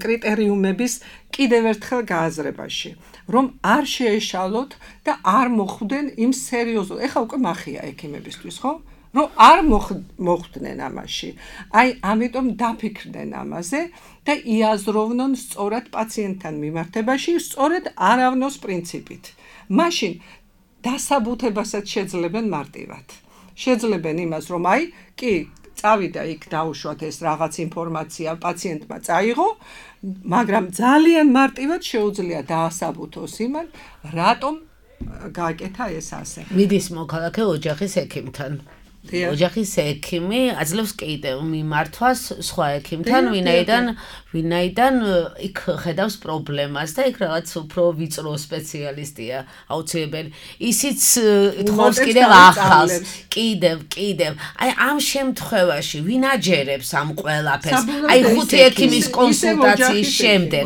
კრიტერიუმების კიდევ ერთხელ გააზრებაში, რომ არ შეეშალოთ და არ მოხვდნენ იმ სერიოზულ. ეხლა უკვე მახია ექიმებისთვის, ხო? რომ არ მოხვდნენ ამაში. აი, ამიტომ დაფიქრდნენ ამაზე და იაზროვნონ სწორად პაციენტთან მიმართებაში, სწორად არავნოს პრინციპით. მაშინ დასაბუთებასაც შეძლებენ მარტივად. შეძლებენ იმას, რომ აი, კი, წავიდა იქ დაუშვათ ეს რაღაც ინფორმაცია პაციენტმა წაიღო, მაგრამ ძალიან მარტივად შეუძლია დაასაბუთოს იმან, რატომ გააკეთა ეს ასე. მიდის მოქალაქე ოჯახის ექიმთან. ოჯახის ექიმი აძლევს კიდევ მიმართვას სხვა ექიმთან, ვინაიდან იქ ხედავს პრობლემას და იქ რაღაც უფრო ვიწრო სპეციალისტია აუცილებელი. ისიც თხოვს კიდევ ახალს, კიდევ. აი ამ შემთხვევაში ვინ აჯერებს ამ ყველაფერს? აი ხუთი ექიმის კონსულტაციის შემდეგ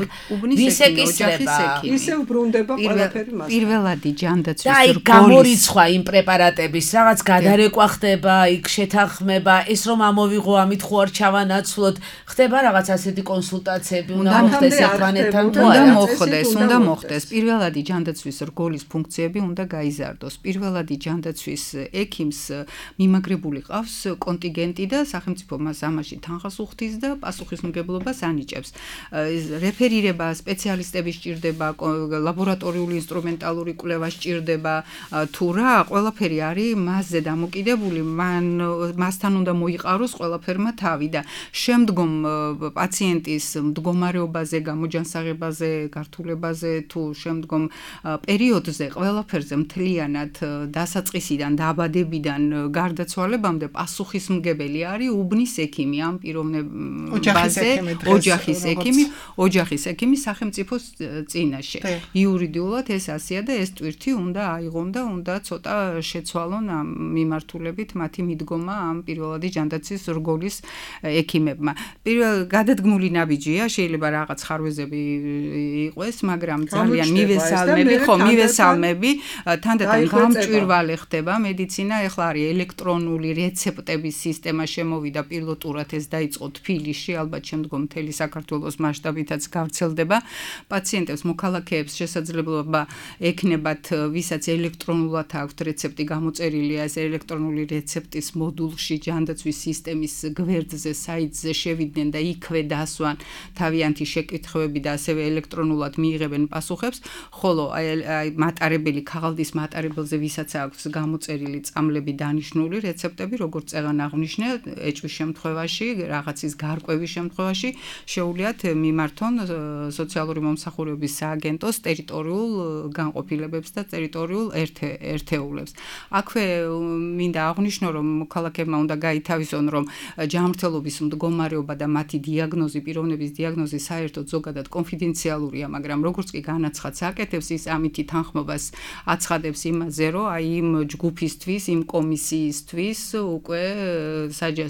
ვის ეკისრება? ისევ ბრუნდება ყველაფერი მას. პირველადი ჯანდაცვის რგოლის. და აი გამორიცხვა იმ პრეპარატების, რაღაც გადარეკვა ხდება, იქ შეთანხმება, ეს რომ ამოვიღო, ამით ხო არ ჩავანაცვლოთ, ხდება რაღაც ასეთი კონსულტაციები, უნდა მოხდეს ერთმანეთთან თუ არა? უნდა მოხდეს. პირველადი ჯანდაცვის რგოლის ფუნქციები უნდა გაიზარდოს. პირველადი ჯანდაცვის ექიმს მიმაგრებული ყავს კონტინგენტი და სახელმწიფო მას ამაში თანხას უხდის და პასუხისმგებლობას ანიჭებს. რეფერირება სპეციალისტები სჭირდება, ლაბორატორიული ინსტრუმენტალური კვლევა სჭირდება, თუ რა, ყველაფერი არის მასზე დამოკიდებული. მასთან უნდა მოიყაროს ყველაფერმა თავი და შემდგომ პაციენტის მდგომარეობაზე, გამოჯანსაღებაზე, გართულებაზე თუ შემდგომ პერიოდზე ყველაფერზე მთლიანად დასაწყისიდან, დაბადებიდან გარდაცვალებამდე პასუხისმგებელი არის უბნის ექიმი ამ პიროვნებაზე, ოჯახის ექიმი სახელმწიფოს წინაშე. იურიდიულად ეს ასეა და ეს ტვირთი უნდა აიღონ და უნდა ცოტა შეცვალონ ამ მიმართულებით მათი მიდგომა ამ პირველადი ჯანდაცვის რგოლის ექიმებმა. გადადგმული ნაბიჯია, შეიძლება რაღაც ხარვეზები იყოს, მაგრამ ძალიან მივესალმები, თანდათან გამჭვირვალე ხდება მედიცინა, ეხლა არის ელექტრონული რეცეპტების სისტემა შემოვიდა პილოტურად, ეს დაიწყო თბილისში, ალბათ შემდგომ მთელი საქართველოს მასშტაბითაც გავრცელდება. პაციენტებს, მოქალაქეებს შესაძლებლობა ექნებათ, ვისაც ელექტრონულად აქვთ რეცეპტი გამოწერილი, ეს ელექტრონული რეცეპტის მოდულში ჯანდაცვის სისტემის გვერდზე, საიტზე შევიდნენ და იქვე დასვან თავიანთი შეკითხვები და ასევე ელექტრონულად მიიღებენ პასუხებს, ხოლო აი მატარებელი ქაღალდის მატარებელზე ვისაც აქვს გამოწერილი წამლები დანიშნული რეცეპტები, როგორც წეგან აღნიშნე, ეჭვის შემთხვევაში, რაღაცის გარკვევის შემთხვევაში შეუძლიათ მიმართონ სოციალური მომსახურების სააგენტოს ტერიტორიულ განყოფილებებს და ტერიტორიულ ერთეულებს. აქვე მინდა აღნიშნო, რომ მოქალაქეებმა უნდა გაითავისონ, რომ ჯანმრთელობის მდგომარეობა და მათი დიაგნოზი, პიროვნების დიაგნოზი საერთოდ ზოგადად კონფიდენციალურია, მაგრამ როგორც კი განაცხადს აკეთებს, ის ამითი თანხმობას აცხადებს იმაზე, რომ აი იმ ჯგუფისთვის, იმ კომისიისთვის უკვე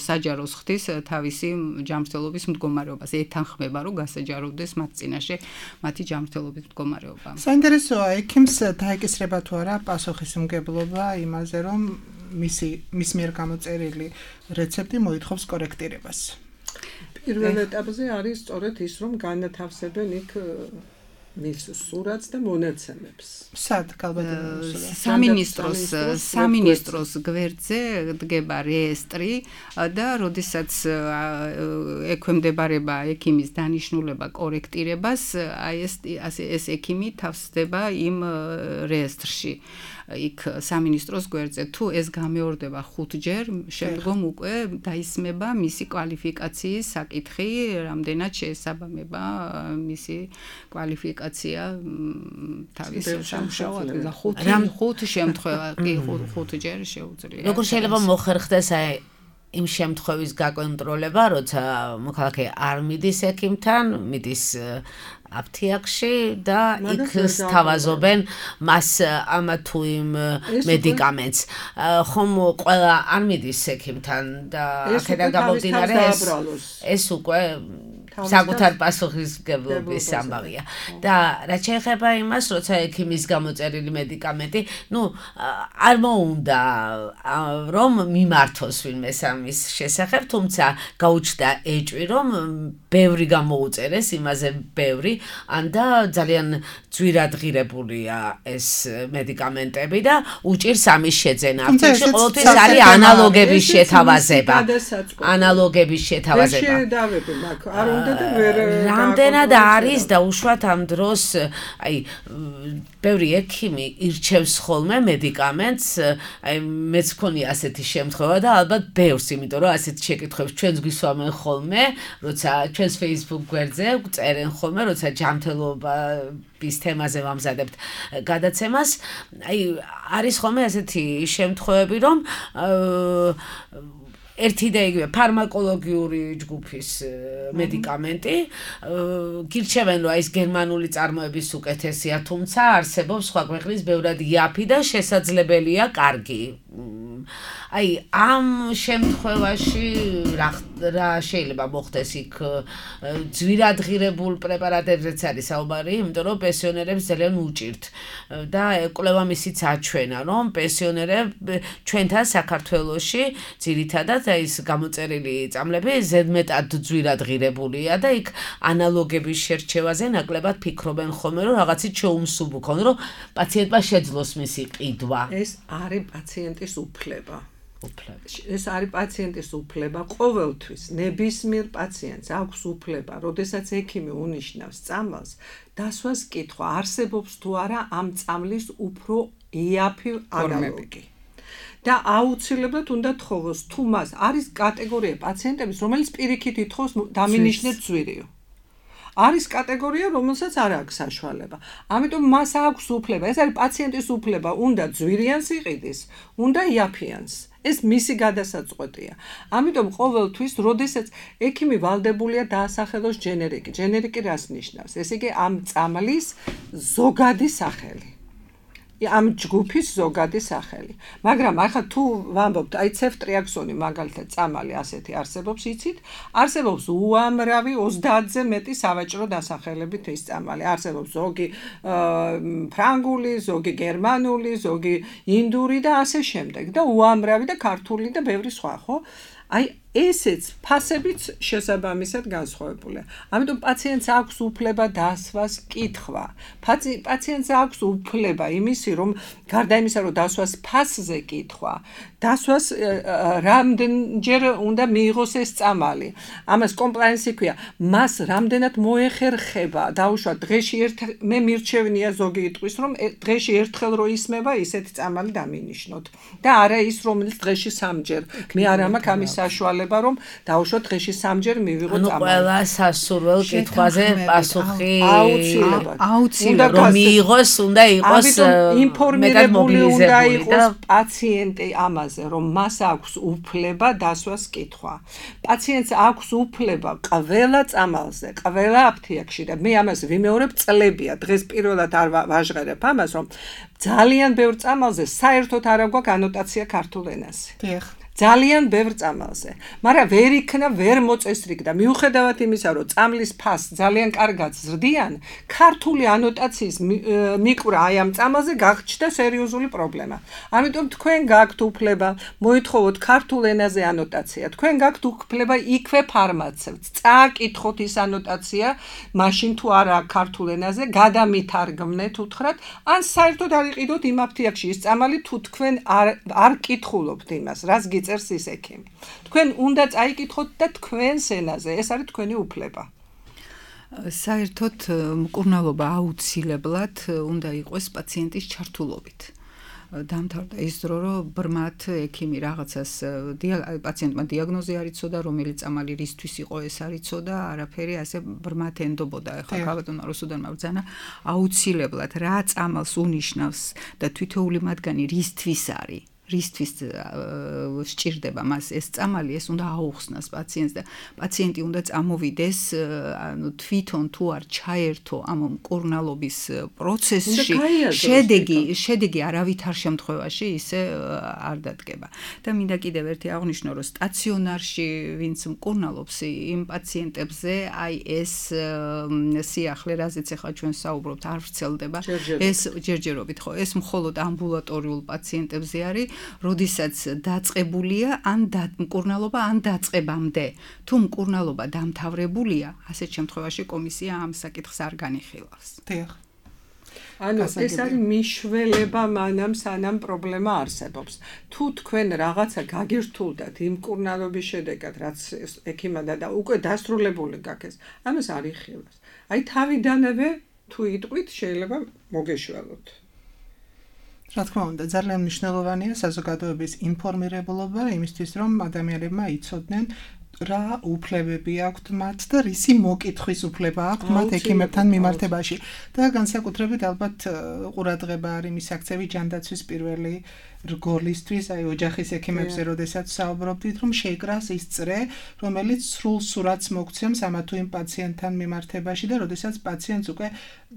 საჯაროს ხდის თავისი ჯანმრთელობის მდგომარეობას. ეთანხმება, რომ გასაჯაროვდეს მათ წინაშე მათი ჯანმრთელობის მდგომარეობა. საინტერესოა, ექიმს დაეკისრება თუ არა პასუხისმგებლობა იმაზე, რომ მის მიერ გამოწერილი რეცეპტი მოითხოვს კორექტირებას. პირველ ეტაპზე არის სწორედ ის, რომ განათავსებენ იქ მის სურათს და მონაცემებს. სად სამინისტროს გვერდზე დგება რეესტრი და როდესაც ექვემდებარება ექიმის დანიშნულება კორექტირებას, ეს ექიმი თავსდება იმ რეესტრში. იქ სამინისტროს გვერდზე თუ ეს გამეორდება 5-ჯერ, შემდგომ უკვე დაისმება მისი კვალიფიკაციის საკითხი, რამდენად შეესაბამება მისი კვალიფიკაცია თავის სამუშაოდ და 5 შემთხვევა, კი 5-ჯერ შეუძლია. როგორ შეიძლება მოხერხდეს იმ შემთხვევის გაკონტროლება, როცა მოქალაქე არ მიდის ექიმთან, მიდის აფთიაქში და იქ სთავაზობენ მას ამ თუ იმ მედიკამენტს. ხომ ყველა არ მიდის ექიმთან და აქედან გამომდინარე ეს უკვე საკუთარ პასუხისმგებლობის ამბავია. და რაც შეეხება იმას, როცა ექიმის გამოწერილი მედიკამენტი, არ მოუნდა რომ მიმართოს ვინმე ამის შესახებ, თუმცა გაუჩნდა ეჭვი, რომ ბევრი გამოუწერეს, იმაზე ბევრი, ან და ძალიან ძვირადღირებულია ეს მედიკამენტები და უჭირს ამის შეძენა. აფთიაქში ყოველთვის არის ანალოგების შეთავაზება. რამდენად არის დაუშვათ ამ დროს, ბევრი ექიმი ირჩევს ხოლმე მედიკამენტს, მეც მქონია ასეთი შემთხვევა და ალბათ ბევრს, იმიტომ რომ ასეთ შეკითხვებს ჩვენს გვისვამენ ხოლმე, როცა ჩვენს Facebook გვერდზე წერენ ხოლმე, როცა ჯანმრთელობის თემაზე ვამზადებთ გადაცემას, არის ხოლმე ასეთი შემთხვევები, რომ ერთი და იგივე ფარმაკოლოგიური ჯგუფის მედიკამენტი გირჩევენ, რომ ეს გერმანული წარმოების უკეთესია, თუმცა არსებობს სხვა ქვეყნის ბევრად იაფი და შესაძლებელია კარგი. ამ შემთხვევაში რა შეიძლება მოხდეს იქ ძვირადღირებულ პრეპარატებზეც არის საუბარი, იმიტომ რომ პენსიონერებს ძალიან უჭირთ და ეკვლევა მისიც აჩვენა, რომ პენსიონერები ჩვენთან საქართველოში ძირითადად ის გამოწერილი წამლები ზედმეტად ძვირადღირებულია და იქ ანალოგების შერჩევაზე ნაკლებად ფიქრობენ ხოლმე, რომ რაღაცით შეუმსუბუქონ, რომ პაციენტმა შეძლოს მისი ყიდვა. ეს არის პაციენტის უფლება. ეს არის პაციენტის უფლება. ყოველთვის ნებისმიერ პაციენტს აქვს უფლება, როდესაც ექიმი უნიშნავს წამალს, დასვას კითხვა, არსებობს თუ არა ამ წამლის უფრო იაფი ანალოგი. და აუცილებლად უნდა თხოვოს, თუ მას არის კატეგორია პაციენტების, რომელიც პირიქით ითხოვს დამინიშნეთ ძვირიო. არის კატეგორია, რომელსაც არ აქვს საშუალება. ამიტომ მას აქვს უფლება, ეს არის პაციენტის უფლება, უნდა ძვირიანს იყიდეს, უნდა იაფიანს. ეს მისი გადასაწყვეტია. ამიტომ ყოველთვის, როდესაც ექიმი ვალდებულია დაასახელოს ჯენერიკი. ჯენერიკი რას ნიშნავს? ესე იგი, ამ წამლის ზოგადი სახელი. ამ ჯგუფის ზოგადი სახელი. მაგრამ ახლა თუ ვამბობთ, ცეფტრიაქსონი მაგალითად წამალი ასეთი არსებობს, იცით? არსებობს უამრავი 30-ზე მეტი სავაჭრო დასახელებით ეს წამალი. არსებობს ზოგი ფრანგული, ზოგი გერმანული, ზოგი ინდური და ასე შემდეგ და უამრავი და ქართული და ბევრი სხვა, ხო? ესეც ფასებიც შესაბამისად განსხვავებულია. ამიტომ პაციენტს აქვს უფლება დასვას კითხვა. პაციენტს აქვს უფლება იმისი, რომ გარდა იმისა, რომ დასვას ფასზე კითხვა, დასვას რამდენჯერ უნდა მიიღოს ეს წამალი. ამას კომპლაენსი ქვია. მას რამდენად მოეხერხება, დაუშვათ დღეში მე მირჩევნია ზოგი იტყვის, რომ დღეში ერთხელ რო ისმება, ისეთი წამალი დამინიშნოთ. და არა ის, რომელიც დღეში 3-ჯერ. მე არ მაქვს ამის საშუალება, რომ დაუშვათ დღეში 3-ჯერ მივიღო წამალი. ყველა სასურველ კითხვაზე პასუხი აუცილებლად რომ მიიღოს, უნდა იყოს ინფორმირებული უნდა იყოს პაციენტი ამაზე, რომ მას აქვს უფლება დასვას კითხვა. პაციენტს აქვს უფლება ყველა წამალზე, ყველა აფთიაქში და მე ამას ვიმეორებ წლებია. დღეს პირველად არ ვაჟღერებ ამას, რომ ძალიან ბევრ წამალზე საერთოდ არ აქვს ანოტაცია ქართულ ენაზე. ძალიან ბევრ წამალზე. მაგრამ ვერ იქნა, ვერ მოწესრიგდა. მიუხედავად იმისა, რომ წამლის ფასს ძალიან კარგად ზრდიან, ქართული ანოტაციის მიკვრა აი ამ წამალზე გახჩდა სერიოზული პრობლემა. ამიტომ თქვენ გაქვთ უფლება მოითხოვოთ ქართულ ენაზე ანოტაცია. თქვენ გაქვთ უფლება იქვე ფარმაცევტს წააკითხოთ ის ანოტაცია, მაშინ თუ არა ქართულ ენაზე, გადამითარგმნეთ უთხრათ, ან საერთოდ არ იყიდოთ იმ აფთიაქში ის წამალი, თუ თქვენ არ კითხულობთ იმას, რას გიწერს ის ექიმი. თქვენ უნდა წაიკითხოთ და თქვენს ენაზე, ეს არის თქვენი უფლება. საერთოდ მკურნალობა აუცილებლად უნდა იყოს პაციენტის ჩართულობით. დამთავრდა ის დრო, რომ ბრმად ექიმი რაღაცას პაციენტმა დიაგნოზი არ იცოდა, რომელი წამალი რისთვის იყო ეს არ იცოდა, არაფერი ასე ბრმად ენდობოდა. ეხლა ქალბატონმა რუსუდანმა ბრძანა, აუცილებლად რა წამალს უნიშნავს და თითოეული მათგანი რისთვის არის. რისთვის სჭირდება მას ეს წამალი, ეს უნდა აუხსნას პაციენტს და პაციენტი უნდა წამოვიდეს, ანუ თვითონ თუ არ ჩაერთო ამ მკურნალობის პროცესში, შედეგი არავითარ შემთხვევაში ისე არ დადგება. და მინდა კიდევ ერთი აღვნიშნო, რომ სტაციონარში ვინც მკურნალობს, იმ პაციენტებზე აი ეს სიახლე, რაზეც ახლა ჩვენ საუბრობთ, არ ვრცელდება. ეს ჯერჯერობით ხო, ეს მხოლოდ ამბულატორიულ პაციენტებზე არის. როდესაც დაწყებულია ან მკურნალობა ან დაწყებამდე. თუ მკურნალობა დამთავრებულია, ასეთ შემთხვევაში კომისია ამ საკითხს არ განიხილავს. ანუ ეს არის მიშველება მანამ სანამ პრობლემა არსებობს. თუ თქვენ რაღაცა გაგირთულდათ იმ მკურნალობის შედეგად, რაც ექიმადა და უკვე დასრულებული გაქვს, ამას არ იხილავს. აი თავიდანვე თუ იტყვით, შეიძლება მოგეშველოთ. რა თქმა უნდა, ძალიან მნიშვნელოვანია საზოგადოების ინფორმირებულობა იმისთვის, რომ ადამიანებმა იცოდნენ რა უფლებები აქვთ მათ და რისი მოკითხვის უფლება აქვთ მათ ექიმებთან მიმართებაში. და განსაკუთრებით ალბათ ყურადღება არის მის აქცევი ჯანდაცვის პირველი რგოლისთვის, აი ოჯახის ექიმებზე, როდესაც საუბრობდით, რომ შეიკრას ის წრე, რომელიც სრულ სურათს მოგცემს ამა თუ იმ პაციენტთან მიმართებაში და როდესაც პაციენტს უკვე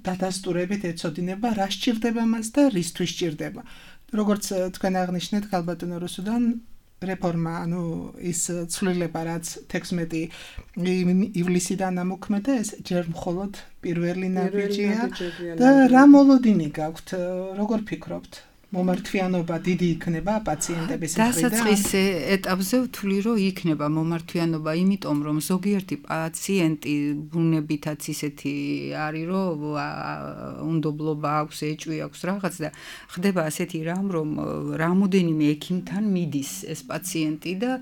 დადასტურებით ეცოდინება, რა სჭირდება მას და რისთვის სჭირდება. როგორც თქვენ აღნიშნეთ, ქალბატონო რუსუდან, რეფორმა, ანუ ის ცვლილება, რაც 16 ივლისიდან ამოქმედა, ეს ჯერ მხოლოდ პირველი ნაბიჯია და რა მოლოდინი გაქვთ, როგორ ფიქრობთ? მომართვიანობა დიდი იქნება პაციენტების მხრიდან? დასაწყის ეტაპზე ვთვლი, რომ იქნება მომართვიანობა, იმიტომ რომ ზოგიერთი პაციენტი ბუნებითაც ისეთი არის, რომ უნდობლობა აქვს, ეჭვი აქვს რაღაც და ხდება ასეთი რამ, რომ რამოდენიმე ექიმთან მიდის ეს პაციენტი და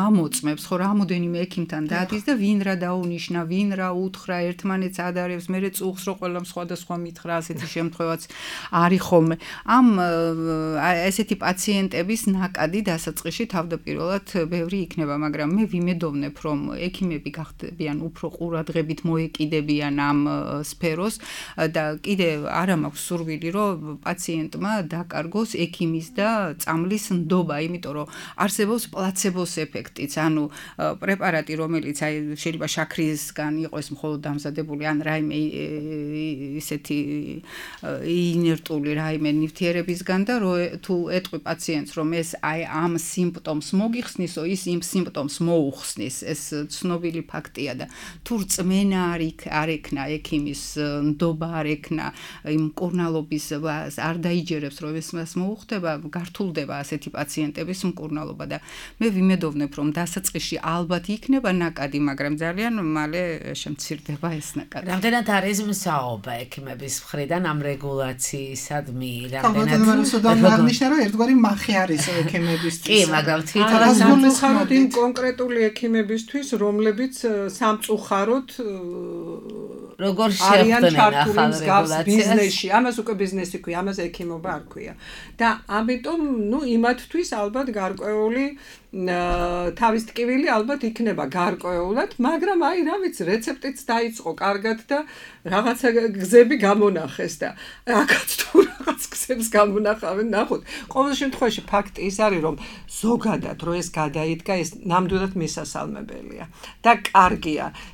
ამოწმებს, ხო, რამოდენიმე ექიმთან დადის და ვინ რა დაუნიშნა, ვინ რა უთხრა, ერთმანეთს ადარებს, მერე წუხს, რომ ყველამ სხვადასხვა მითხრა, ასეთი შემთხვევაც არის ხოლმე. ამ ესეთი პაციენტების ნაკადი დასაწყისში თავდაპირველად ბევრი იქნება, მაგრამ მე ვიმედოვნებ, რომ ექიმები გახდებიან უფრო ყურადღებით მოეკიდებიან ამ სფეროს და კიდე არა მაქვს სურვილი, რომ პაციენტმა დაკარგოს ექიმის და წამლის ნდობა, იმიტომ რომ არსებობს პლაცებოს ეფექტიც, ანუ პრეპარატი, რომელიც აი შეიძლება შაქრისგან იყოს მხოლოდ დამზადებული, ან რაიმე ისეთი ინერტული რაიმე ნივთიერებისგან და თუ ეტყვი პაციენტს, რომ ეს აი ამ სიმპტომს მოგიხსნისო, ის იმ სიმპტომს მოუხსნის, ეს ცნობილი ფაქტია და თუ რწმენა არ ექნა ექიმის ნდობა არ ექნა იმ მკურნალობის არ დაიჯერებს, რომ ეს მას მოუხდება, გართულდება ასეთი პაციენტების მკურნალობა და მე ვიმედოვნებ, რომ დასაწყისში ალბათ იქნება ნაკადი, მაგრამ ძალიან მალე შემცირდება ეს ნაკადი. რამდენად არის მსაობა ექიმების მხრიდან ამ რეგულაციისადმი? ქალბატონმა რუსუდანმა აღნიშნა, რომ ერთგვარი მახე არის ექიმებისთვის. კი, მაგრამ თვითონ სამწუხაროდ იმ კონკრეტული ექიმებისთვის, რომლებიც სამწუხაროდ როგორ შეხვდნენ ახალ რეგულაციას ბიზნესში, ამას უკვე ბიზნესი ქვია, ამას ექიმობა არ ქვია. და ამიტომ, იმათთვის ალბათ გარკვეული თავის ტკივილი ალბათ იქნება გარკვეულად, მაგრამ აი რა ვიცი, რეცეპტიც დაიწყო კარგად და რაღაცა გზები გამონახეს და აქაც თუ რაღაც გზებს გამონახავენ, ნახოთ. ყოველ შემთხვევაში ფაქტი ის არის, რომ ზოგადად რო ეს გადაიდგა, ეს ნამდვილად მისასალმებელია და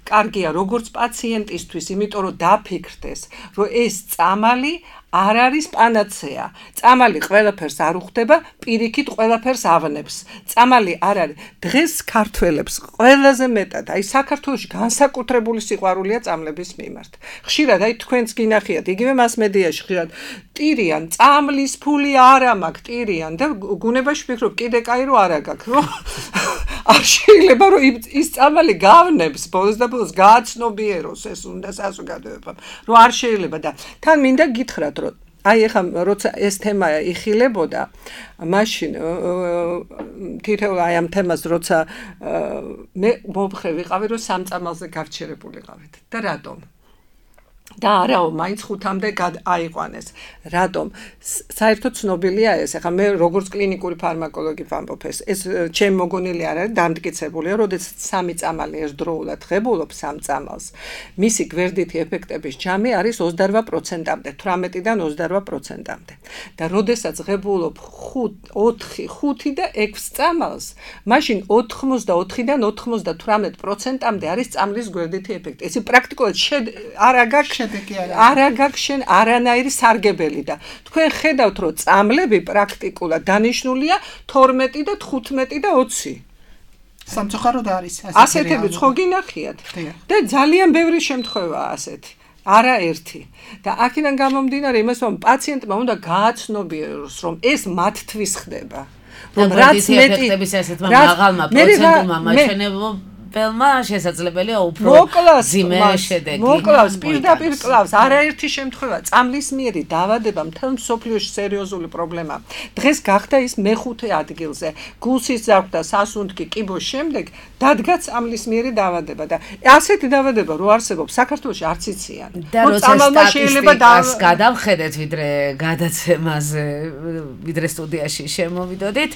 კარგია როგორც პაციენტისთვის, იმიტომ რომ დაფიქრდეს, რომ ეს წამალი არ არის პანაცეა. წამალი ყველაფერს არ უხდება, პირიქით ყველაფერს ავნებს. წამალი არ არის. დღეს ქართველებს ყველაზე მეტად, აი საქართველოში განსაკუთრებული სიყვარულია წამლების მიმართ. ხშირად აი თქვენც გინახიათ, იგივე მასმედიაში ხშირად ტირიან, წამლის ფული არა მაქვს, ტირიან და გუნებაში ვფიქრობ, კიდე კაი რო არა გაქვს, რომ არ შეიძლება რომ ის წამალი გავნებს, ბოლოს და ბოლოს გააცნობიეროს ეს უნდა საზოგადოებამ, რომ არ შეიძლება და თან მინდა გითხრათ, რომ აი ეხლა როცა ეს თემა იხილებოდა, მაშინ თითოეულ აი ამ თემას როცა მე მომხრე ვიყავი, რომ სამწამალზე გავჩერებულიყავით და რატომ? და არაო, მაინც 5-მდე აიყვანეს. რატომ? საერთოდ ცნობილია ეს. ახლა მე როგორც კლინიკური ფარმაკოლოგი ვამბობ ეს ჩემ მოგონილი არ არის დამტკიცებულია, როდესაც 3 წამალი ერთდროულად ღებულობ 3 წამალს. მისი გვერდითი ეფექტების ჯამი არის 28%-მდე, 18-დან 28%-მდე. და როდესაც ღებულობ 5 და 6 წამალს, მაშინ 84-დან 98%-მდე არის წამლის გვერდითი ეფექტი. ეს პრაქტიკულად არა გაქვს შენ არანაირი სარგებელი და თქვენ ხედავთ რომ წამლები პრაქტიკულად დანიშნულია 12 და 15 და 20. სამწუხაროდ არის ასეთები ხო გინახიათ და ძალიან ბევრი შემთხვევაა ასეთი. არა ერთი. და აქედან გამომდინარე იმას რომ პაციენტმა უნდა გააცნობიეროს რომ ეს მათთვის ხდება. რომ რაც მეტი ესეთმა მაღალმა პროცენტულმა მაჩვენებელმა შესაძლებელია უფრო ძიმე შედეგი. მოკლავს, პირდაპირ კლავს, არაერთი შემთხვევა წამლის მიერი დაავადება მთელ მსოფლიოში სერიოზული პრობლემაა. დღეს გახდა ის მეხუთე ადგილზე. გულსის ძარღვთა, სასუნთქი, კიბოს შემდეგ დადგა წამლის მიერი დაავადება და ასეთი დაავადება რო არსებობს საქართველოში არც იციან. და როცა სტატისტიკას გადავხედეთ ვიდრე გადაცემაზე, ვიდრე სტუდიაში შემოვიდოდით,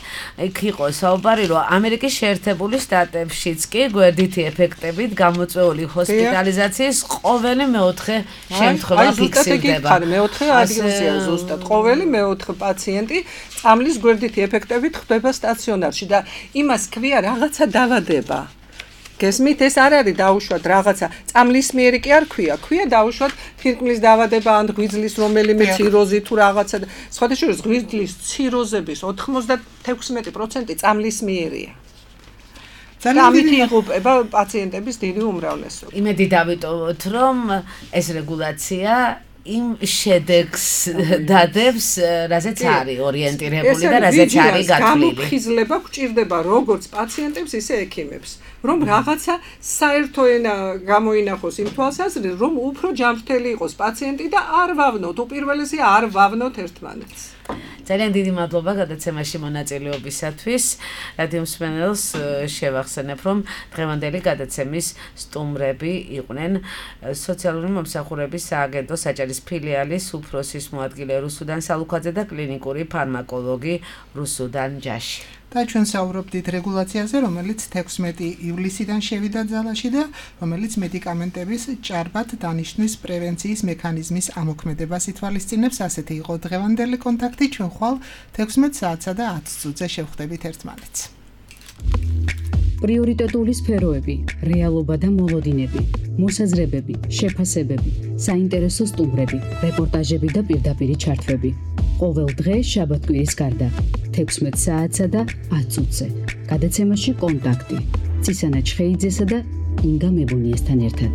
იქ იყო საუბარი რომ ამერიკის შეერთებული შტატებშიც კი გვერდითი ეფექტებით გამოწვეული ჰოსპიტალიზაციის ყოველი მეოთხე შემთხვევა ფიქსირდება. მეოთხე ადგილზეა ზუსტად. ყოველი მეოთხე პაციენტი წამლის გვერდითი ეფექტებით ხდება სტაციონარში და იმას ქვია რაღაცა დაავადება. გესმით, ეს არ არის დაუშვათ რაღაცა წამლის მიერი კი არ ქვია დაუშვათ ფირკმლის დაავადება ან ღვიძლის რომელიმე ციროზი თუ რაღაცა. სხვათა შორის ღვიძლის ციროზების 96% წამლის მიერია. ამით იღუპება პაციენტების დიდი უმრავლესობა. იმედი დავიტოვოთ, რომ ეს რეგულაცია იმ შედეგს დადებს, რაზეც არის ორიენტირებული და რაზეც არის გათვლილი. გამოფხიზლება გვჭირდება როგორც პაციენტებს, ისე ექიმებს, რომ რაღაცა საერთო ენა გამოინახოს იმ თვალსაზრისით, რომ უფრო ჯანმრთელი იყოს პაციენტი და არ ვავნოთ, უპირველესია არ ვავნოთ ერთმანეთს. ძალიან დიდი მადლობა გადაცემაში მონაწილეობისათვის. რადიო მსმენელს შევახსენებ, რომ დღევანდელი გადაცემის სტუმრები იყვნენ სოციალური მომსახურების სააგენტო საჭერის ფილიალის უფროსის მოადგილე რუსუდან სალუქაძე და კლინიკური ფარმაკოლოგი რუსუდან ჯაში. და ჩვენ საუბრობდით რეგულაციაზე, რომელიც 16 ივლისიდან შევიდა ძალაში და რომელიც მედიკამენტების ჭარბად დანიშნვის პრევენციის მექანიზმის ამოქმედებას ითვალისწინებს. ასეთი იყო დღევანდელი კონტაქტი. ჩვენ ხვალ 16 საათსა და 10 წუთზე შევხვდებით ერთმანეთს. პრიორიტეტული სფეროები, რეალობა და მოლოდინები, მოსაზრებები, შეფასებები, საინტერესო სტუმრები, რეპორტაჟები და პირდაპირი ჩართვები. ყოველ დღე შაბათ-კვირის გარდა 16 საათსა და 10 წუთზე. გადაცემაში კონტაქტი. ცისანა ჩხეიძესა და ინგა მებუნიასთან ერთად.